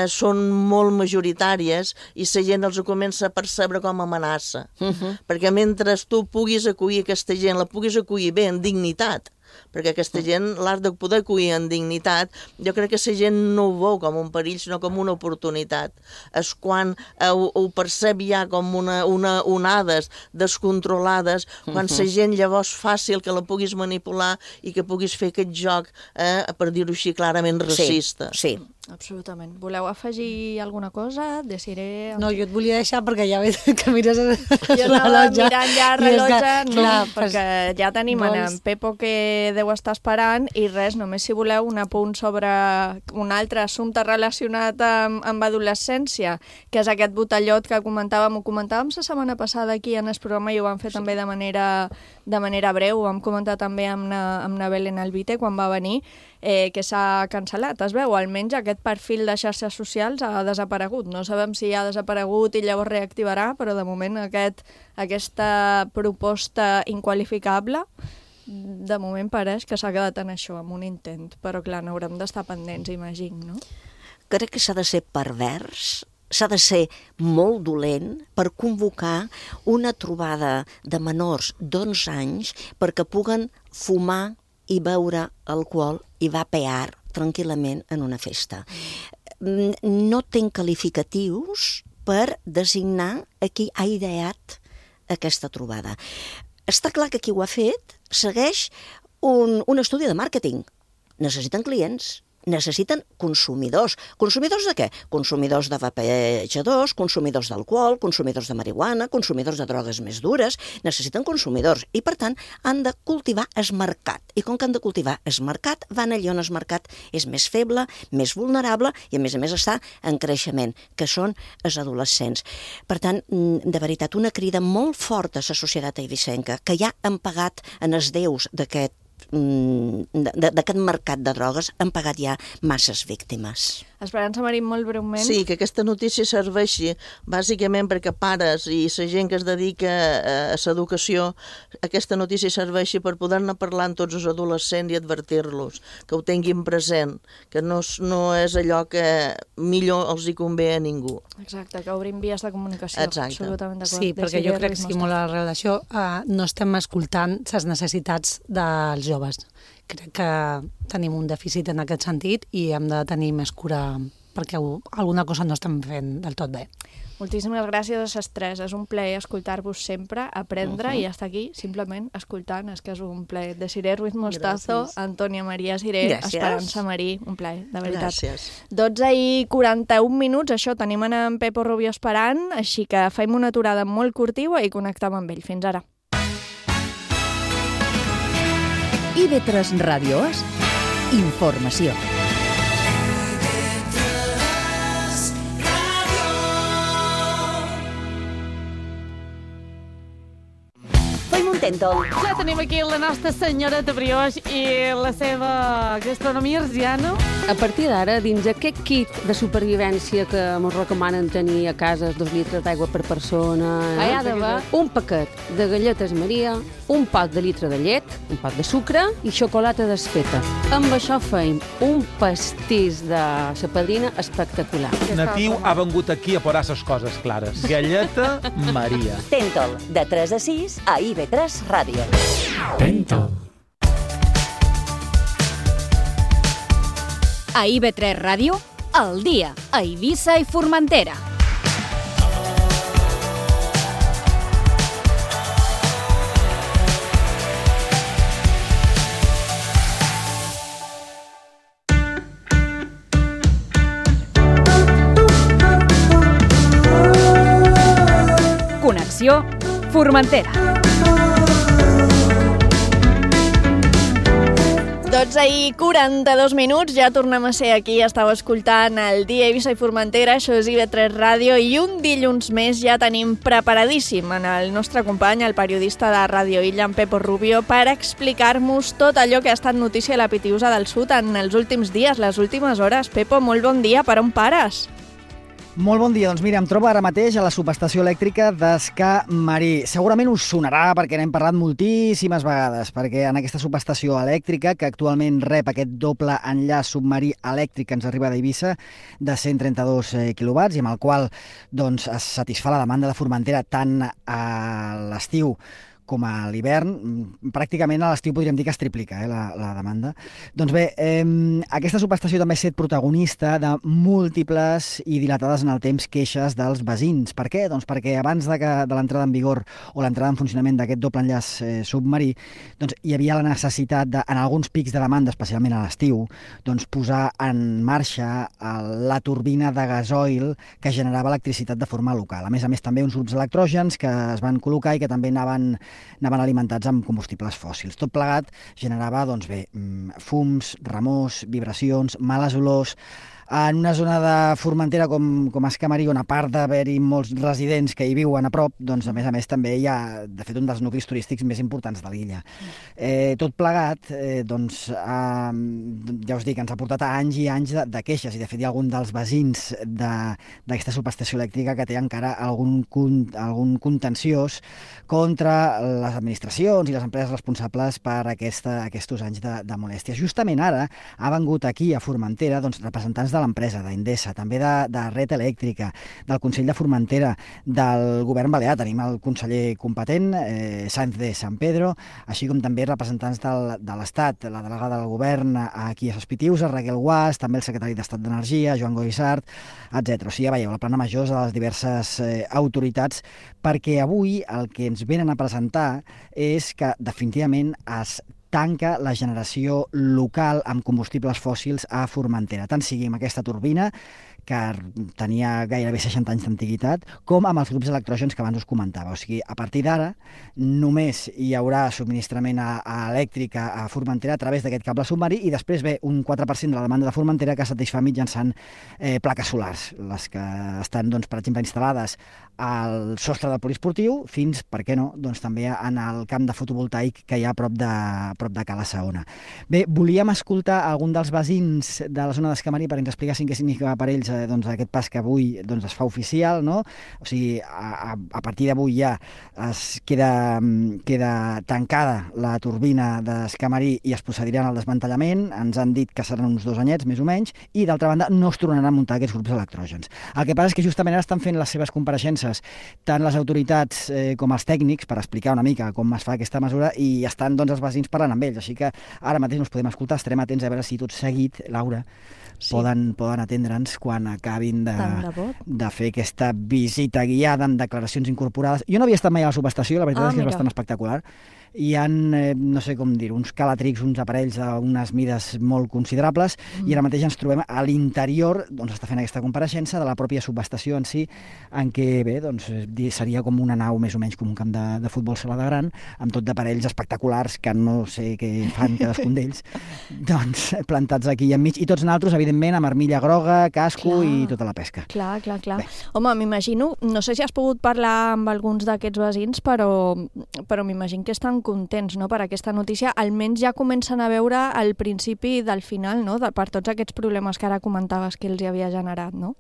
són molt majoritàries i la gent els comença a percebre com a amenaça. Perquè mentre tu puguis acollir aquesta gent, la puguis acollir bé, en dignitat, perquè aquesta gent, l'art de poder acollir en dignitat, jo crec que la gent no ho veu com un perill, sinó com una oportunitat. És quan ho percep ja com onades descontrolades, quan la gent llavors fàcil que la puguis manipular i que puguis fer aquest joc, per dir-ho així, clarament racista. Sí. Absolutament. Voleu afegir alguna cosa? Desiré... No, jo et volia deixar perquè ja veig que mires jo l'allotge. Mirant ja el rellotge, clar, perquè ja tenim en Pepo que deu estar esperant i res, només si voleu un apunt sobre un altre assumpte relacionat amb adolescència, que és aquest botellot que comentàvem, ho comentàvem la setmana passada aquí en el programa i ho vam fer també de manera breu, ho vam comentar també amb na Belén Albite quan va venir, que s'ha cancel·lat, es veu, almenys aquest perfil de xarxes socials ha desaparegut. No sabem si ha desaparegut i llavors reactivarà, però de moment aquesta proposta inqualificable de moment pareix que s'ha quedat en això, en un intent, però clar, n'haurem d'estar pendents, imagino, no? Crec que s'ha de ser pervers, s'ha de ser molt dolent per convocar una trobada de menors d'11 anys perquè puguen fumar i beure alcohol i vapear tranquil·lament en una festa. No tinc qualificatius per designar a qui ha ideat aquesta trobada. Està clar que qui ho ha fet segueix un estudi de màrqueting. Necessiten clients, necessiten consumidors. Consumidors de què? Consumidors de vapejadors, consumidors d'alcohol, consumidors de marihuana, consumidors de drogues més dures. Necessiten consumidors i, per tant, han de cultivar el mercat. I com que han de cultivar el mercat, van allà on el mercat és més feble, més vulnerable i, a més, està en creixement, que són els adolescents. Per tant, de veritat, una crida molt forta a la societat eivissenca, que ja han pagat en els déus d'aquest mercat de drogues, han pagat ja masses víctimes. Esperança Marín, molt breument. Sí, que aquesta notícia serveixi bàsicament perquè pares i la gent que es dedica a l'educació, aquesta notícia serveixi per poder-ne parlar amb tots els adolescents i advertir-los, que ho tinguin present, que no és allò que millor els hi convé a ningú. Exacte, que obrim vies de comunicació. Exacte. Absolutament d'acord. Sí, perquè jo crec que sí, molt a la relació no estem escoltant les necessitats dels joves. Crec que tenim un dèficit en aquest sentit i hem de tenir més cura perquè alguna cosa no estem fent del tot bé. Moltíssimes gràcies a les tres. És un plaer escoltar-vos sempre, aprendre i estar aquí simplement escoltant. És que és un plaer. Desiré Ruiz Mostazo, Antònia Maria Siré, Esperança Marí, un plaer, de veritat. Gràcies. 12:41, això, tenim en Pepo Rubio esperant, així que fem una aturada molt curtiva i connectem amb ell. Fins ara. IB3 Ràdio és informació. Ja tenim aquí la nostra senyoreta Brioix i la seva gastronomia arsiana. A partir d'ara, dins aquest kit de supervivència que ens recomanen tenir a casa 2 litres d'aigua per persona, hi ha d'haver un paquet de galletes Maria, un pot de litre de llet, un pot de sucre i xocolata desfeta. Amb això feim un pastís de la padrina espectacular. Natiu ha vengut aquí a posar les coses clares. Galleta Maria. Tentol, de 3 a 6 a IB3 Ràdio. Tentol. A IB3 Ràdio, al dia, a Eivissa i Formentera. Connexió Formentera. 12:42, ja tornem a ser aquí, estàu escoltant el dia Eivissa i Formentera, això és IB3 Ràdio, i un dilluns més ja tenim preparadíssim en el nostre company, el periodista de Ràdio Illa, en Pepo Rubio, per explicar-nos tot allò que ha estat notícia a la Pitiusa del Sud en els últims dies, les últimes hores. Pepo, molt bon dia, per on pares? Molt bon dia, doncs mira, em trobo ara mateix a la subestació elèctrica d'Escà Marí. Segurament us sonarà perquè n'hem parlat moltíssimes vegades, perquè en aquesta subestació elèctrica, que actualment rep aquest doble enllaç submarí elèctric que ens arriba d'Eivissa, de 132 quilowatts, i amb el qual doncs, es satisfà la demanda de Formentera tant a l'estiu com a l'hivern, pràcticament a l'estiu podríem dir que es triplica la demanda. Doncs bé, aquesta subestació també ha estat protagonista de múltiples i dilatades en el temps queixes dels veïns. Per què? Doncs perquè abans de l'entrada en vigor o l'entrada en funcionament d'aquest doble enllaç submarí, doncs hi havia la necessitat en alguns pics de demanda, especialment a l'estiu, doncs posar en marxa la turbina de gasoil que generava electricitat de forma local. A més, també uns grups electrògens que es van col·locar i que també anaven alimentats amb combustibles fòssils. Tot plegat generava, doncs bé, fums, remors, vibracions, males olors. En una zona de Formentera com Escamarí, on a part d'haver-hi molts residents que hi viuen a prop, doncs a més també hi ha, de fet, un dels nuclis turístics més importants de l'illa. Tot plegat, doncs, ja us dic, ens ha portat a anys i anys de queixes, i de fet hi ha algun dels veïns d'aquesta subestació elèctrica que té encara algun contenciós contra les administracions i les empreses responsables per aquests anys de molèsties. Justament ara ha vengut aquí a Formentera representants de l'empresa, d'Endesa, també de Red Elèctrica, del Consell de Formentera, del govern balear. Tenim el conseller competent, Sáenz de San Pedro, així com també representants de l'Estat, la delegada del govern aquí a Sospitius, Raquel Guas, també el secretari d'Estat d'Energia, Joan Goissart, etc. O sigui, ja veieu, la plana major de les diverses autoritats, perquè avui el que ens venen a presentar és que definitivament es tanca la generació local amb combustibles fòssils a Formentera, tant sigui amb aquesta turbina, que tenia gairebé 60 anys d'antiguitat, com amb els grups electrògens que abans us comentava. O sigui, a partir d'ara només hi haurà subministrament elèctric a Formentera a través d'aquest cable submarí, i després ve un 4% de la demanda de Formentera que satisfà mitjançant plaques solars, les que estan, doncs, per exemple, instal·lades al sostre del poliesportiu fins, per què no, doncs també en el camp de fotovoltaic que hi ha a prop de Cala Saona. Bé, volíem escoltar algun dels veïns de la zona d'Escamarí perquè ens expliquessin què significa per ells aquest pas que avui es fa oficial, no? O sigui, a partir d'avui ja es queda tancada la turbina d'Escamarí i es procediran al desmantellament. Ens han dit que seran uns 2 anyets, més o menys, i d'altra banda no es tornaran a muntar aquests grups electrògens. El que passa és que justament ara estan fent les seves compareixences tant les autoritats com els tècnics per explicar una mica com es fa aquesta mesura, i estan, doncs, els veïns parlant amb ells, així que ara mateix no els podem escoltar, estarem atents a veure si tot seguit, Laura, poden atendre'ns quan acabin de fer aquesta visita guiada amb declaracions incorporades. Jo no havia estat mai a la subestació, la veritat és que és bastant espectacular. Hi ha, no sé com dir, uns calatrics, uns aparells d'unes mides molt considerables, i ara mateix ens trobem a l'interior, doncs està fent aquesta compareixença de la pròpia subestació en si, en què, bé, doncs seria com una nau més o menys com un camp de futbol sala de gran, amb tot d'aparells espectaculars que no sé què fan cadascun d'ells, doncs plantats aquí enmig, i tots naltros, evidentment, amb armilla groga, casco i tota la pesca. Clar. Home, m'imagino, no sé si has pogut parlar amb alguns d'aquests veïns, però m'imagino que estan contents, no?, per aquesta notícia. Almenys ja comencen a veure el principi del final, no?, per tots aquests problemes que ara comentaves que els hi havia generat, no?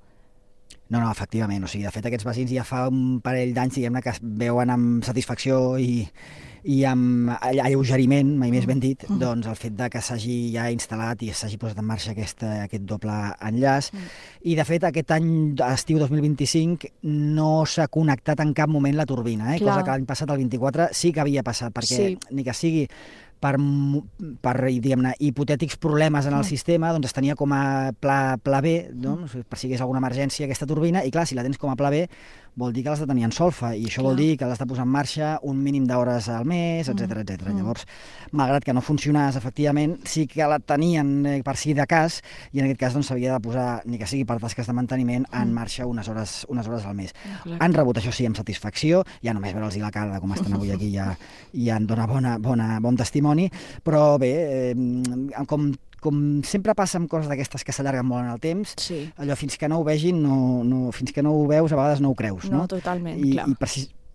No, efectivament. O sigui, de fet, aquests veïns ja fa un parell d'anys, diguem-ne, que es veuen amb satisfacció i amb alleugeriment, mai més ben dit, doncs el fet de que s'hagi ja instal·lat i s'hagi posat en marxa aquest doble enllaç. I, de fet, aquest any, estiu 2025, no s'ha connectat en cap moment la turbina, cosa que l'any passat, el 24, sí que havia passat, perquè ni que sigui per diguem-ne, hipotètics problemes en el sistema, doncs es tenia com a pla B, per si hi hagués alguna emergència aquesta turbina, i clar, si la tens com a pla B, vol dir que l'has de tenir en solfa, i això vol dir que l'has de posar en marxa un mínim d'hores al mes, etc. Llavors, malgrat que no funcionés, efectivament, sí que la tenien per si de cas, i en aquest cas s'havia de posar, ni que sigui per tasques de manteniment, en marxa unes hores al mes. Han rebut, això sí, amb satisfacció, ja només veure'ls la cara de com estan avui aquí ja en dona bon testimoni, però bé, com sempre passa amb coses d'aquestes que s'allarguen molt en el temps, allò fins que no ho vegin, fins que no ho veus, a vegades no ho creus. No, totalment, clar. I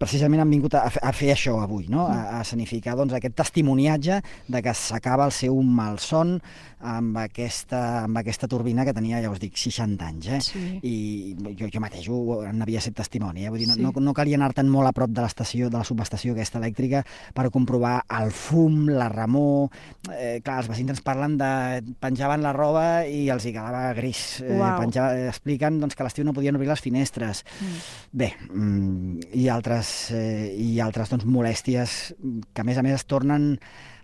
precisament han vingut a fer això avui, no? A escenificar aquest testimoniatge de que s'acaba el seu malson amb aquesta turbina que tenia, ja us dic, 60 anys. I jo mateix n'havia set testimoni. Vull dir, no calia anar tan molt a prop de l'estació, de la subestació aquesta elèctrica, per comprovar el fum, la remor. Clar, els veïns ens parlen penjaven la roba i els hi quedava gris. Expliquen que a l'estiu no podien obrir les finestres. Bé, i altres i altres molèsties que a més es tornen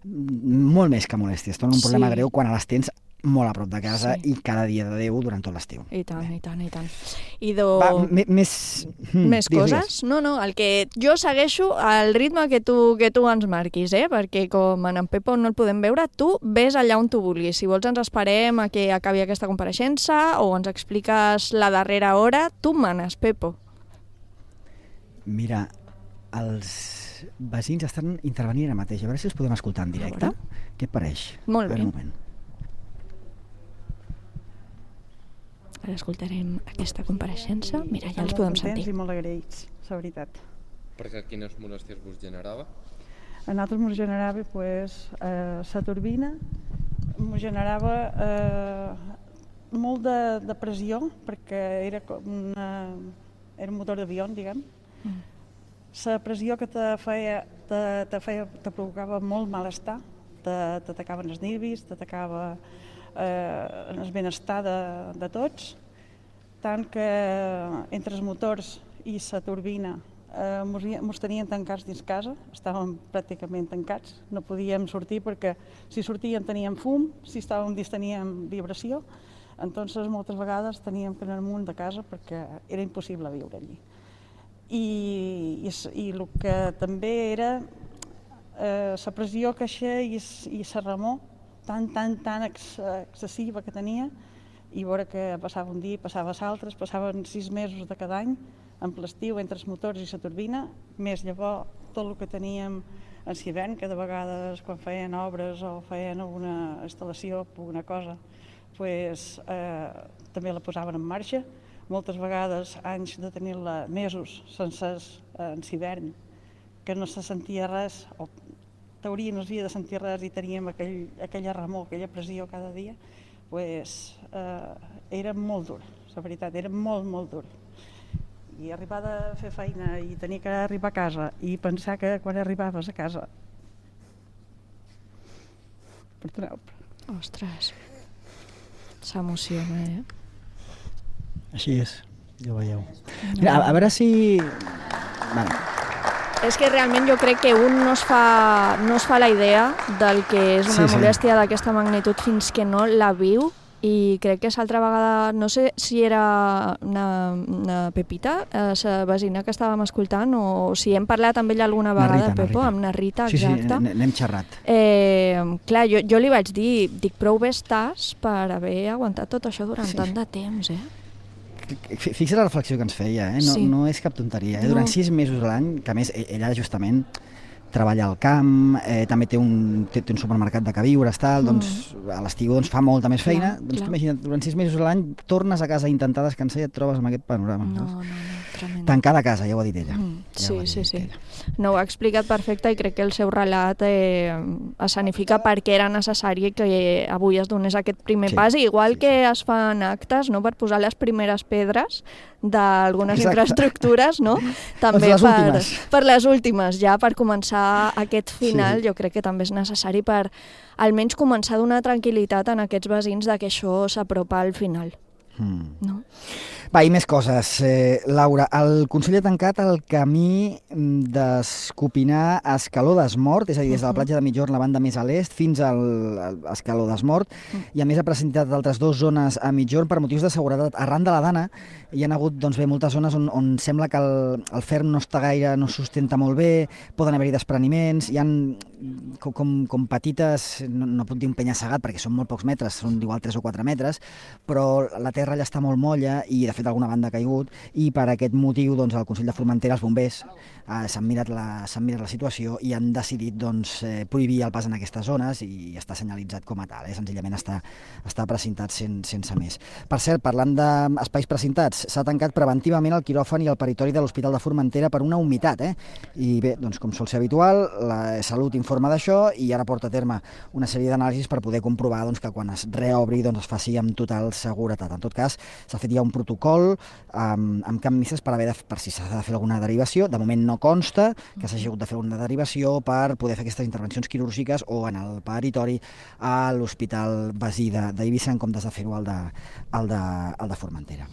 molt més que molèsties, tornen un problema greu quan les tens molt a prop de casa i cada dia de Déu durant tot l'estiu. I tant. Més coses? No, el que jo segueixo al ritme que tu ens marquis, perquè com en Pepo no el podem veure, tu ves allà on tu vulguis. Si vols ens esperem a que acabi aquesta compareixença o ens expliques la darrera hora, tu manes, Pepo. Mira, els veïns estan intervenint ara mateix. A veure si els podem escoltar en directe. Què et pareix? Molt bé. Un moment. Ara escoltarem aquesta compareixença. Mira, ja els podem sentir. I molt agraïts, la veritat. Perquè quines molèsties vos generava? A nosaltres ens generava la turbina, ens generava molt de pressió, perquè era un motor d'avió, diguem. La pressió que te provocava molt malestar, t'atacaven els nervis, t'atacava el benestar de tots, tant que entre els motors i la turbina ens tenien tancats dins casa, estàvem pràcticament tancats, no podíem sortir perquè si sortíem teníem fum, si estàvem dins teníem vibració, entonces moltes vegades teníem que anar amunt de casa perquè era impossible viure allí. I el que també era la pressió que i la remor tan excessiva que tenia, i veure que passava un dia, passava l'altre, passaven 6 mesos de cada any, en l'estiu, entre els motors i la turbina, més llavors tot el que teníem en l'hivern, que de vegades quan feien obres o feien alguna instal·lació, alguna cosa, també la posaven en marxa. Moltes vegades anys de tenir-la mesos sencers en l'hivern, que no se sentia res, o teoria no s'havia de sentir res i teníem aquella remor, aquella pressió cada dia, era molt dura, la veritat, era molt, molt dura. I arribar a fer feina i tenir que arribar a casa i pensar que quan arribaves a casa perdoneu. Ostres, s'emociona, Així és, ja ho veieu. Mira, a veure si... És que realment jo crec que un no es fa la idea del que és una molèstia d'aquesta magnitud fins que no la viu, i crec que l'altra vegada, no sé si era una Pepita, la vecina que estàvem escoltant, o si hem parlat amb ella alguna vegada, Pepo, amb na Rita, exacte. Sí, n'hem xerrat. Clar, jo li vaig dir, dic, prou bé estàs per haver aguantat tot això durant tant de temps, Fixa la reflexió que ens feia, no és cap tonteria. Durant 6 mesos a l'any, que a més ella justament treballa al camp, també té un supermercat de queviures, doncs a l'estiu fa molta més feina. Doncs imagina't, durant 6 mesos a l'any tornes a casa a intentar descansar i et trobes amb aquest panorama. No, tremendo. Tancada a casa, ja ho ha dit ella. Sí. No, ho ha explicat perfecte i crec que el seu relat escenifica per què era necessari que avui es donés aquest primer pas, igual que es fan actes per posar les primeres pedres d'algunes infraestructures, també per les últimes, ja per començar aquest final. Jo crec que també és necessari per almenys començar a donar tranquil·litat en aquests veïns que això s'apropa al final. Va, i més coses. Laura, el Consell ha tancat el camí d'Escopinar a Escaló d'Esmort, és a dir, des de la platja de Migjorn, la banda més a l'est, fins a Escaló d'Esmort, i a més ha presentat altres 2 zones a Migjorn per motius de seguretat. Arran de la Dana hi ha hagut moltes zones on sembla que el ferm no està gaire, no sustenta molt bé, poden haver-hi despreniments, hi ha com petites, no puc dir un penya-segat perquè són molt pocs metres, són igual 3 o 4 metres, però la terra allà està molt molla i de fet alguna banda ha caigut, i per aquest motiu el Consell de Formentera, els bombers, s'han mirat la situació i han decidit prohibir el pas en aquestes zones, i està senyalitzat com a tal, senzillament està precintat sense més. Per cert, parlant d'espais precintats, s'ha tancat preventivament el quiròfan i el peritori de l'Hospital de Formentera per una humitat, i bé, com sol ser habitual, la Salut informa informe d'això i ara porta a terme una sèrie d'anàlisis per poder comprovar que quan es reobri es faci amb total seguretat. En tot cas, s'ha fet ja un protocol amb canvistes per si s'ha de fer alguna derivació. De moment no consta que s'hagi hagut de fer una derivació per poder fer aquestes intervencions quirúrgiques o en el peritori a l'Hospital Basí d'Eivissa en comptes de fer-ho al de Formentera.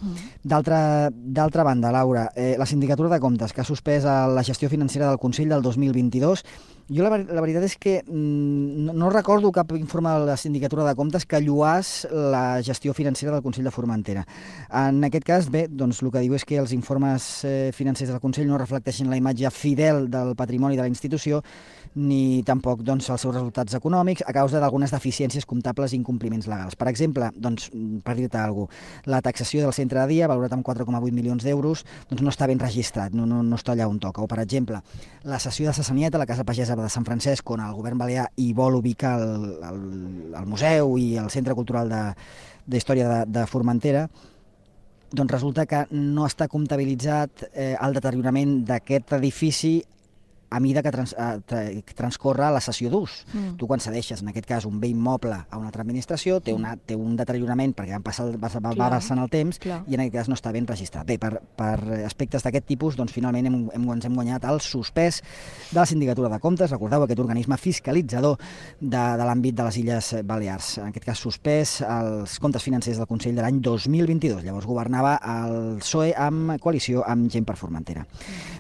D'altra banda, Laura, la Sindicatura de Comptes, que ha suspès la gestió financera del Consell del 2022, jo la veritat és que no recordo cap informe de la Sindicatura de Comptes que lluàs la gestió financera del Consell de Formentera. En aquest cas, bé, doncs el que diu és que els informes financers del Consell no reflecteixen la imatge fidel del patrimoni de la institució ni tampoc els seus resultats econòmics a causa d'algunes deficiències comptables i incompliments legals. Per exemple, per dir-te alguna cosa, la taxació del centre de dia, valorat amb 4,8 milions d'euros, no està ben registrat, no està allà on toca. O, per exemple, la cessió de Sassaniet a la Casa Pagesa de Sant Francesc, on el govern balear hi vol ubicar el museu i el centre cultural d'història de Formentera, doncs resulta que no està comptabilitzat el deteriorament d'aquest edifici a mida que transcorre la cessió d'ús. Tu quan cedeixes, en aquest cas, un bé immoble a una altra administració, té un deteriorament perquè va passant el temps i en aquest cas no està ben registrat. Bé, per aspectes d'aquest tipus, doncs finalment ens hem guanyat el suspès de la Sindicatura de Comptes, recordeu, aquest organisme fiscalitzador de l'àmbit de les Illes Balears. En aquest cas, suspès els comptes financers del Consell de l'any 2022. Llavors governava el PSOE amb coalició amb Gent per Formentera.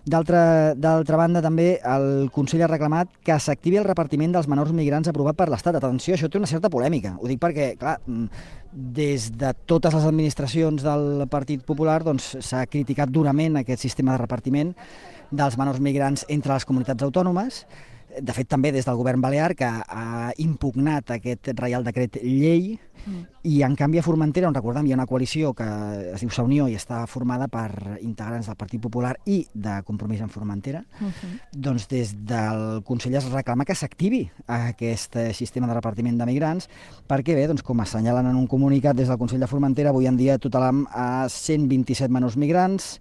D'altra banda, també, el Consell ha reclamat que s'activi el repartiment dels menors migrants aprovat per l'Estat. Atenció, això té una certa polèmica. Ho dic perquè, clar, des de totes les administracions del Partit Popular s'ha criticat durament aquest sistema de repartiment dels menors migrants entre les comunitats autònomes. De fet, també des del govern balear, que ha impugnat aquest Reial Decret Llei, i en canvi a Formentera, on recordem hi ha una coalició que es diu Sa Unió i està formada per integrants del Partit Popular i de Compromís en Formentera, doncs des del Consell es reclama que s'activi aquest sistema de repartiment de migrants, perquè bé, com assenyalen en un comunicat des del Consell de Formentera, avui en dia tutelam a 127 menors migrants,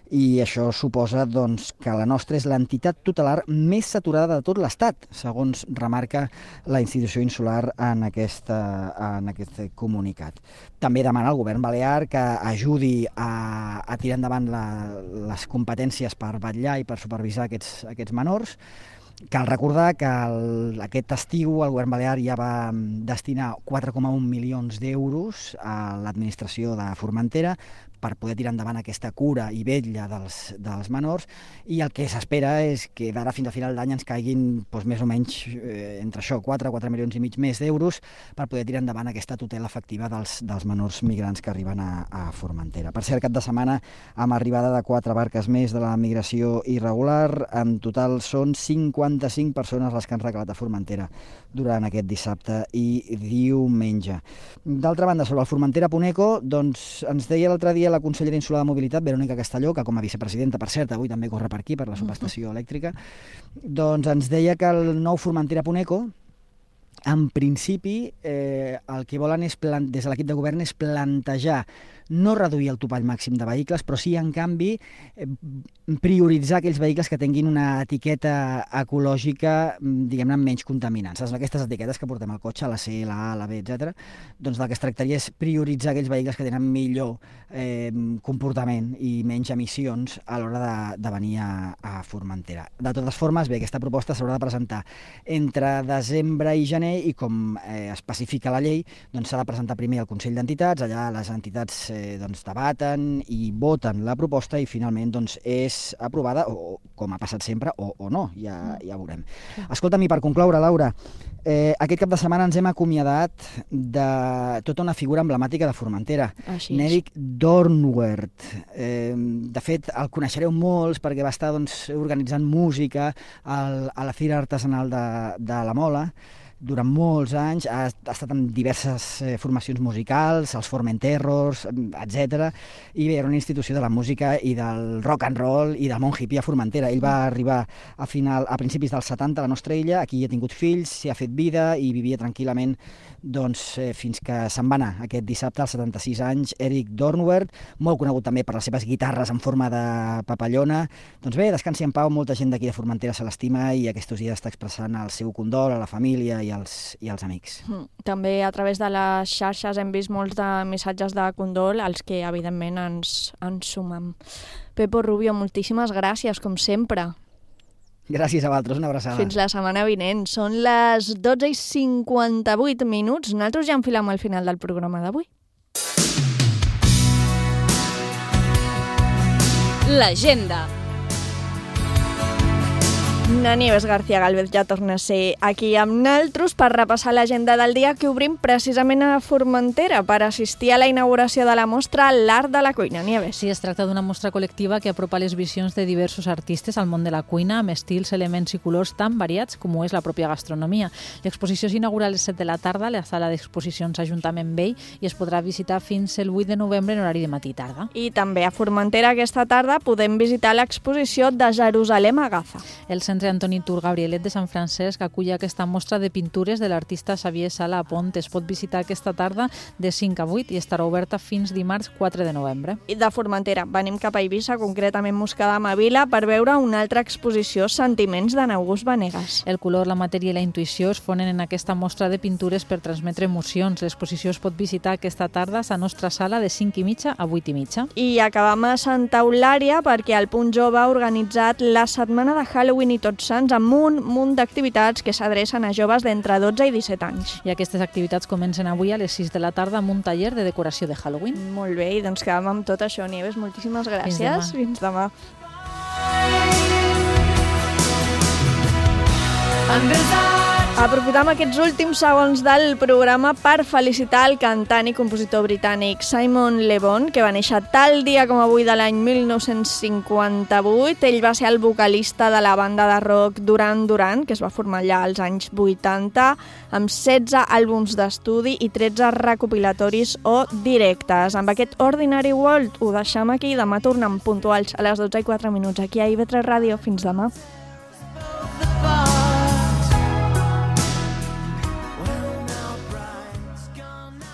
i això suposa que la nostra és l'entitat tutelar més saturada de tot l'Estat, segons remarca la institució insular en aquest comunicat. També demana al govern balear que ajudi a tirar endavant les competències per vetllar i per supervisar aquests menors. Cal recordar que aquest estiu el govern balear ja va destinar 4,1 milions d'euros a l'administració de Formentera per poder tirar endavant aquesta cura i vetlla dels menors, i el que s'espera és que d'ara fins a final d'any ens caiguin més o menys entre això, 4 milions i mig més d'euros per poder tirar endavant aquesta tutela efectiva dels menors migrants que arriben a Formentera. Per cert, cap de setmana amb arribada de 4 barques més de la migració irregular, en total són 55 persones les que han recalat a Formentera durant aquest dissabte i diumenge. D'altra banda, sobre el Formentera Puneco, ens deia l'altre dia la consellera insular de Mobilitat, Verònica Castelló, que com a vicepresidenta, per cert, avui també corre per aquí, per la subestació elèctrica, doncs ens deia que el nou Formentera Puneco, en principi, el que volen des de l'equip de govern és plantejar no reduir el topall màxim de vehicles, però sí, en canvi, prioritzar aquells vehicles que tinguin una etiqueta ecològica, diguem-ne, menys contaminants. Aquestes etiquetes que portem al cotxe, la C, la A, la B, etc. Doncs del que es tractaria és prioritzar aquells vehicles que tenen millor comportament i menys emissions a l'hora de venir a Formentera. De totes formes, bé, aquesta proposta s'haurà de presentar entre desembre i gener i, com especifica la llei, s'ha de presentar primer al Consell d'Entitats, allà les entitats debaten i voten la proposta i finalment és aprovada, o com ha passat sempre, o no, ja veurem. Escolta'm, i per concloure, Laura, aquest cap de setmana ens hem acomiadat de tota una figura emblemàtica de Formentera, Nèric Dornwert. De fet, el coneixereu molts perquè va estar organitzant música a la Fira Artesanal de la Mola, durant molts anys, ha estat en diverses formacions musicals, els Formenterros, etc. I bé, era una institució de la música i del rock and roll i del món hippie a Formentera. Ell va arribar a principis dels 70 a la nostra illa, aquí ha tingut fills, s'hi ha fet vida i vivia tranquil·lament fins que se'n va anar aquest dissabte als 76 anys. Eric Dornwert, molt conegut també per les seves guitarres en forma de papallona. Doncs bé, descansi en pau, molta gent d'aquí de Formentera se l'estima i aquests dies està expressant el seu condol a la família i als amics. També a través de les xarxes hem vist molts de missatges de condol, als que evidentment ens sumem. Pepo Rubio, moltíssimes gràcies, com sempre. Gràcies a vosaltres, una abraçada. Fins la setmana vinent. Són les 12:58. Nosaltres ja enfilem al final del programa d'avui. L'agenda. Na Nieves García Gálvez ja torna a ser aquí amb naltros per repassar l'agenda del dia que obrim precisament a Formentera per assistir a la inauguració de la mostra L'Art de la Cuina. Nieves. Sí, es tracta d'una mostra col·lectiva que apropa les visions de diversos artistes al món de la cuina amb estils, elements i colors tan variats com ho és la pròpia gastronomia. L'exposició s'inaugura a les 7 de la tarda a la sala d'exposicions Ajuntament Vell i es podrà visitar fins el 8 de novembre en horari de matí i tarda. I també a Formentera aquesta tarda podem visitar l'exposició de Jerusalem a Gaza. El Centre Antoni Tur Gabrielet de Sant Francesc acull aquesta mostra de pintures de l'artista Xavier Sala a Pont. Es pot visitar aquesta tarda de 5 a 8 i estarà oberta fins dimarts 4 de novembre. I de Formentera venim cap a Eivissa, concretament Moscadam a Vila, per veure una altra exposició, Sentiments d'en August Vanegas. El color, la matèria i la intuïció es fonen en aquesta mostra de pintures per transmetre emocions. L'exposició es pot visitar aquesta tarda a la nostra sala de 5:30 a 8:30. I acabam a Santa Eulària perquè el Punt Jove ha organitzat la setmana de Halloween i Tots Sants amb un munt d'activitats que s'adrecen a joves d'entre 12 i 17 anys. I aquestes activitats comencen avui a les 6 de la tarda amb un taller de decoració de Halloween. Molt bé, i doncs quedam amb tot això, Nieves. Moltíssimes gràcies. Fins demà. Aprofitam aquests últims segons del programa per felicitar el cantant i compositor britànic Simon Le Bon, que va néixer tal dia com avui de l'any 1958. Ell va ser el vocalista de la banda de rock Duran Duran, que es va formar allà als anys 80, amb 16 àlbums d'estudi i 13 recopilatoris o directes. Amb aquest Ordinary World ho deixem aquí. Demà tornem puntuals a les 12:04 aquí a IB3 Ràdio. Fins demà.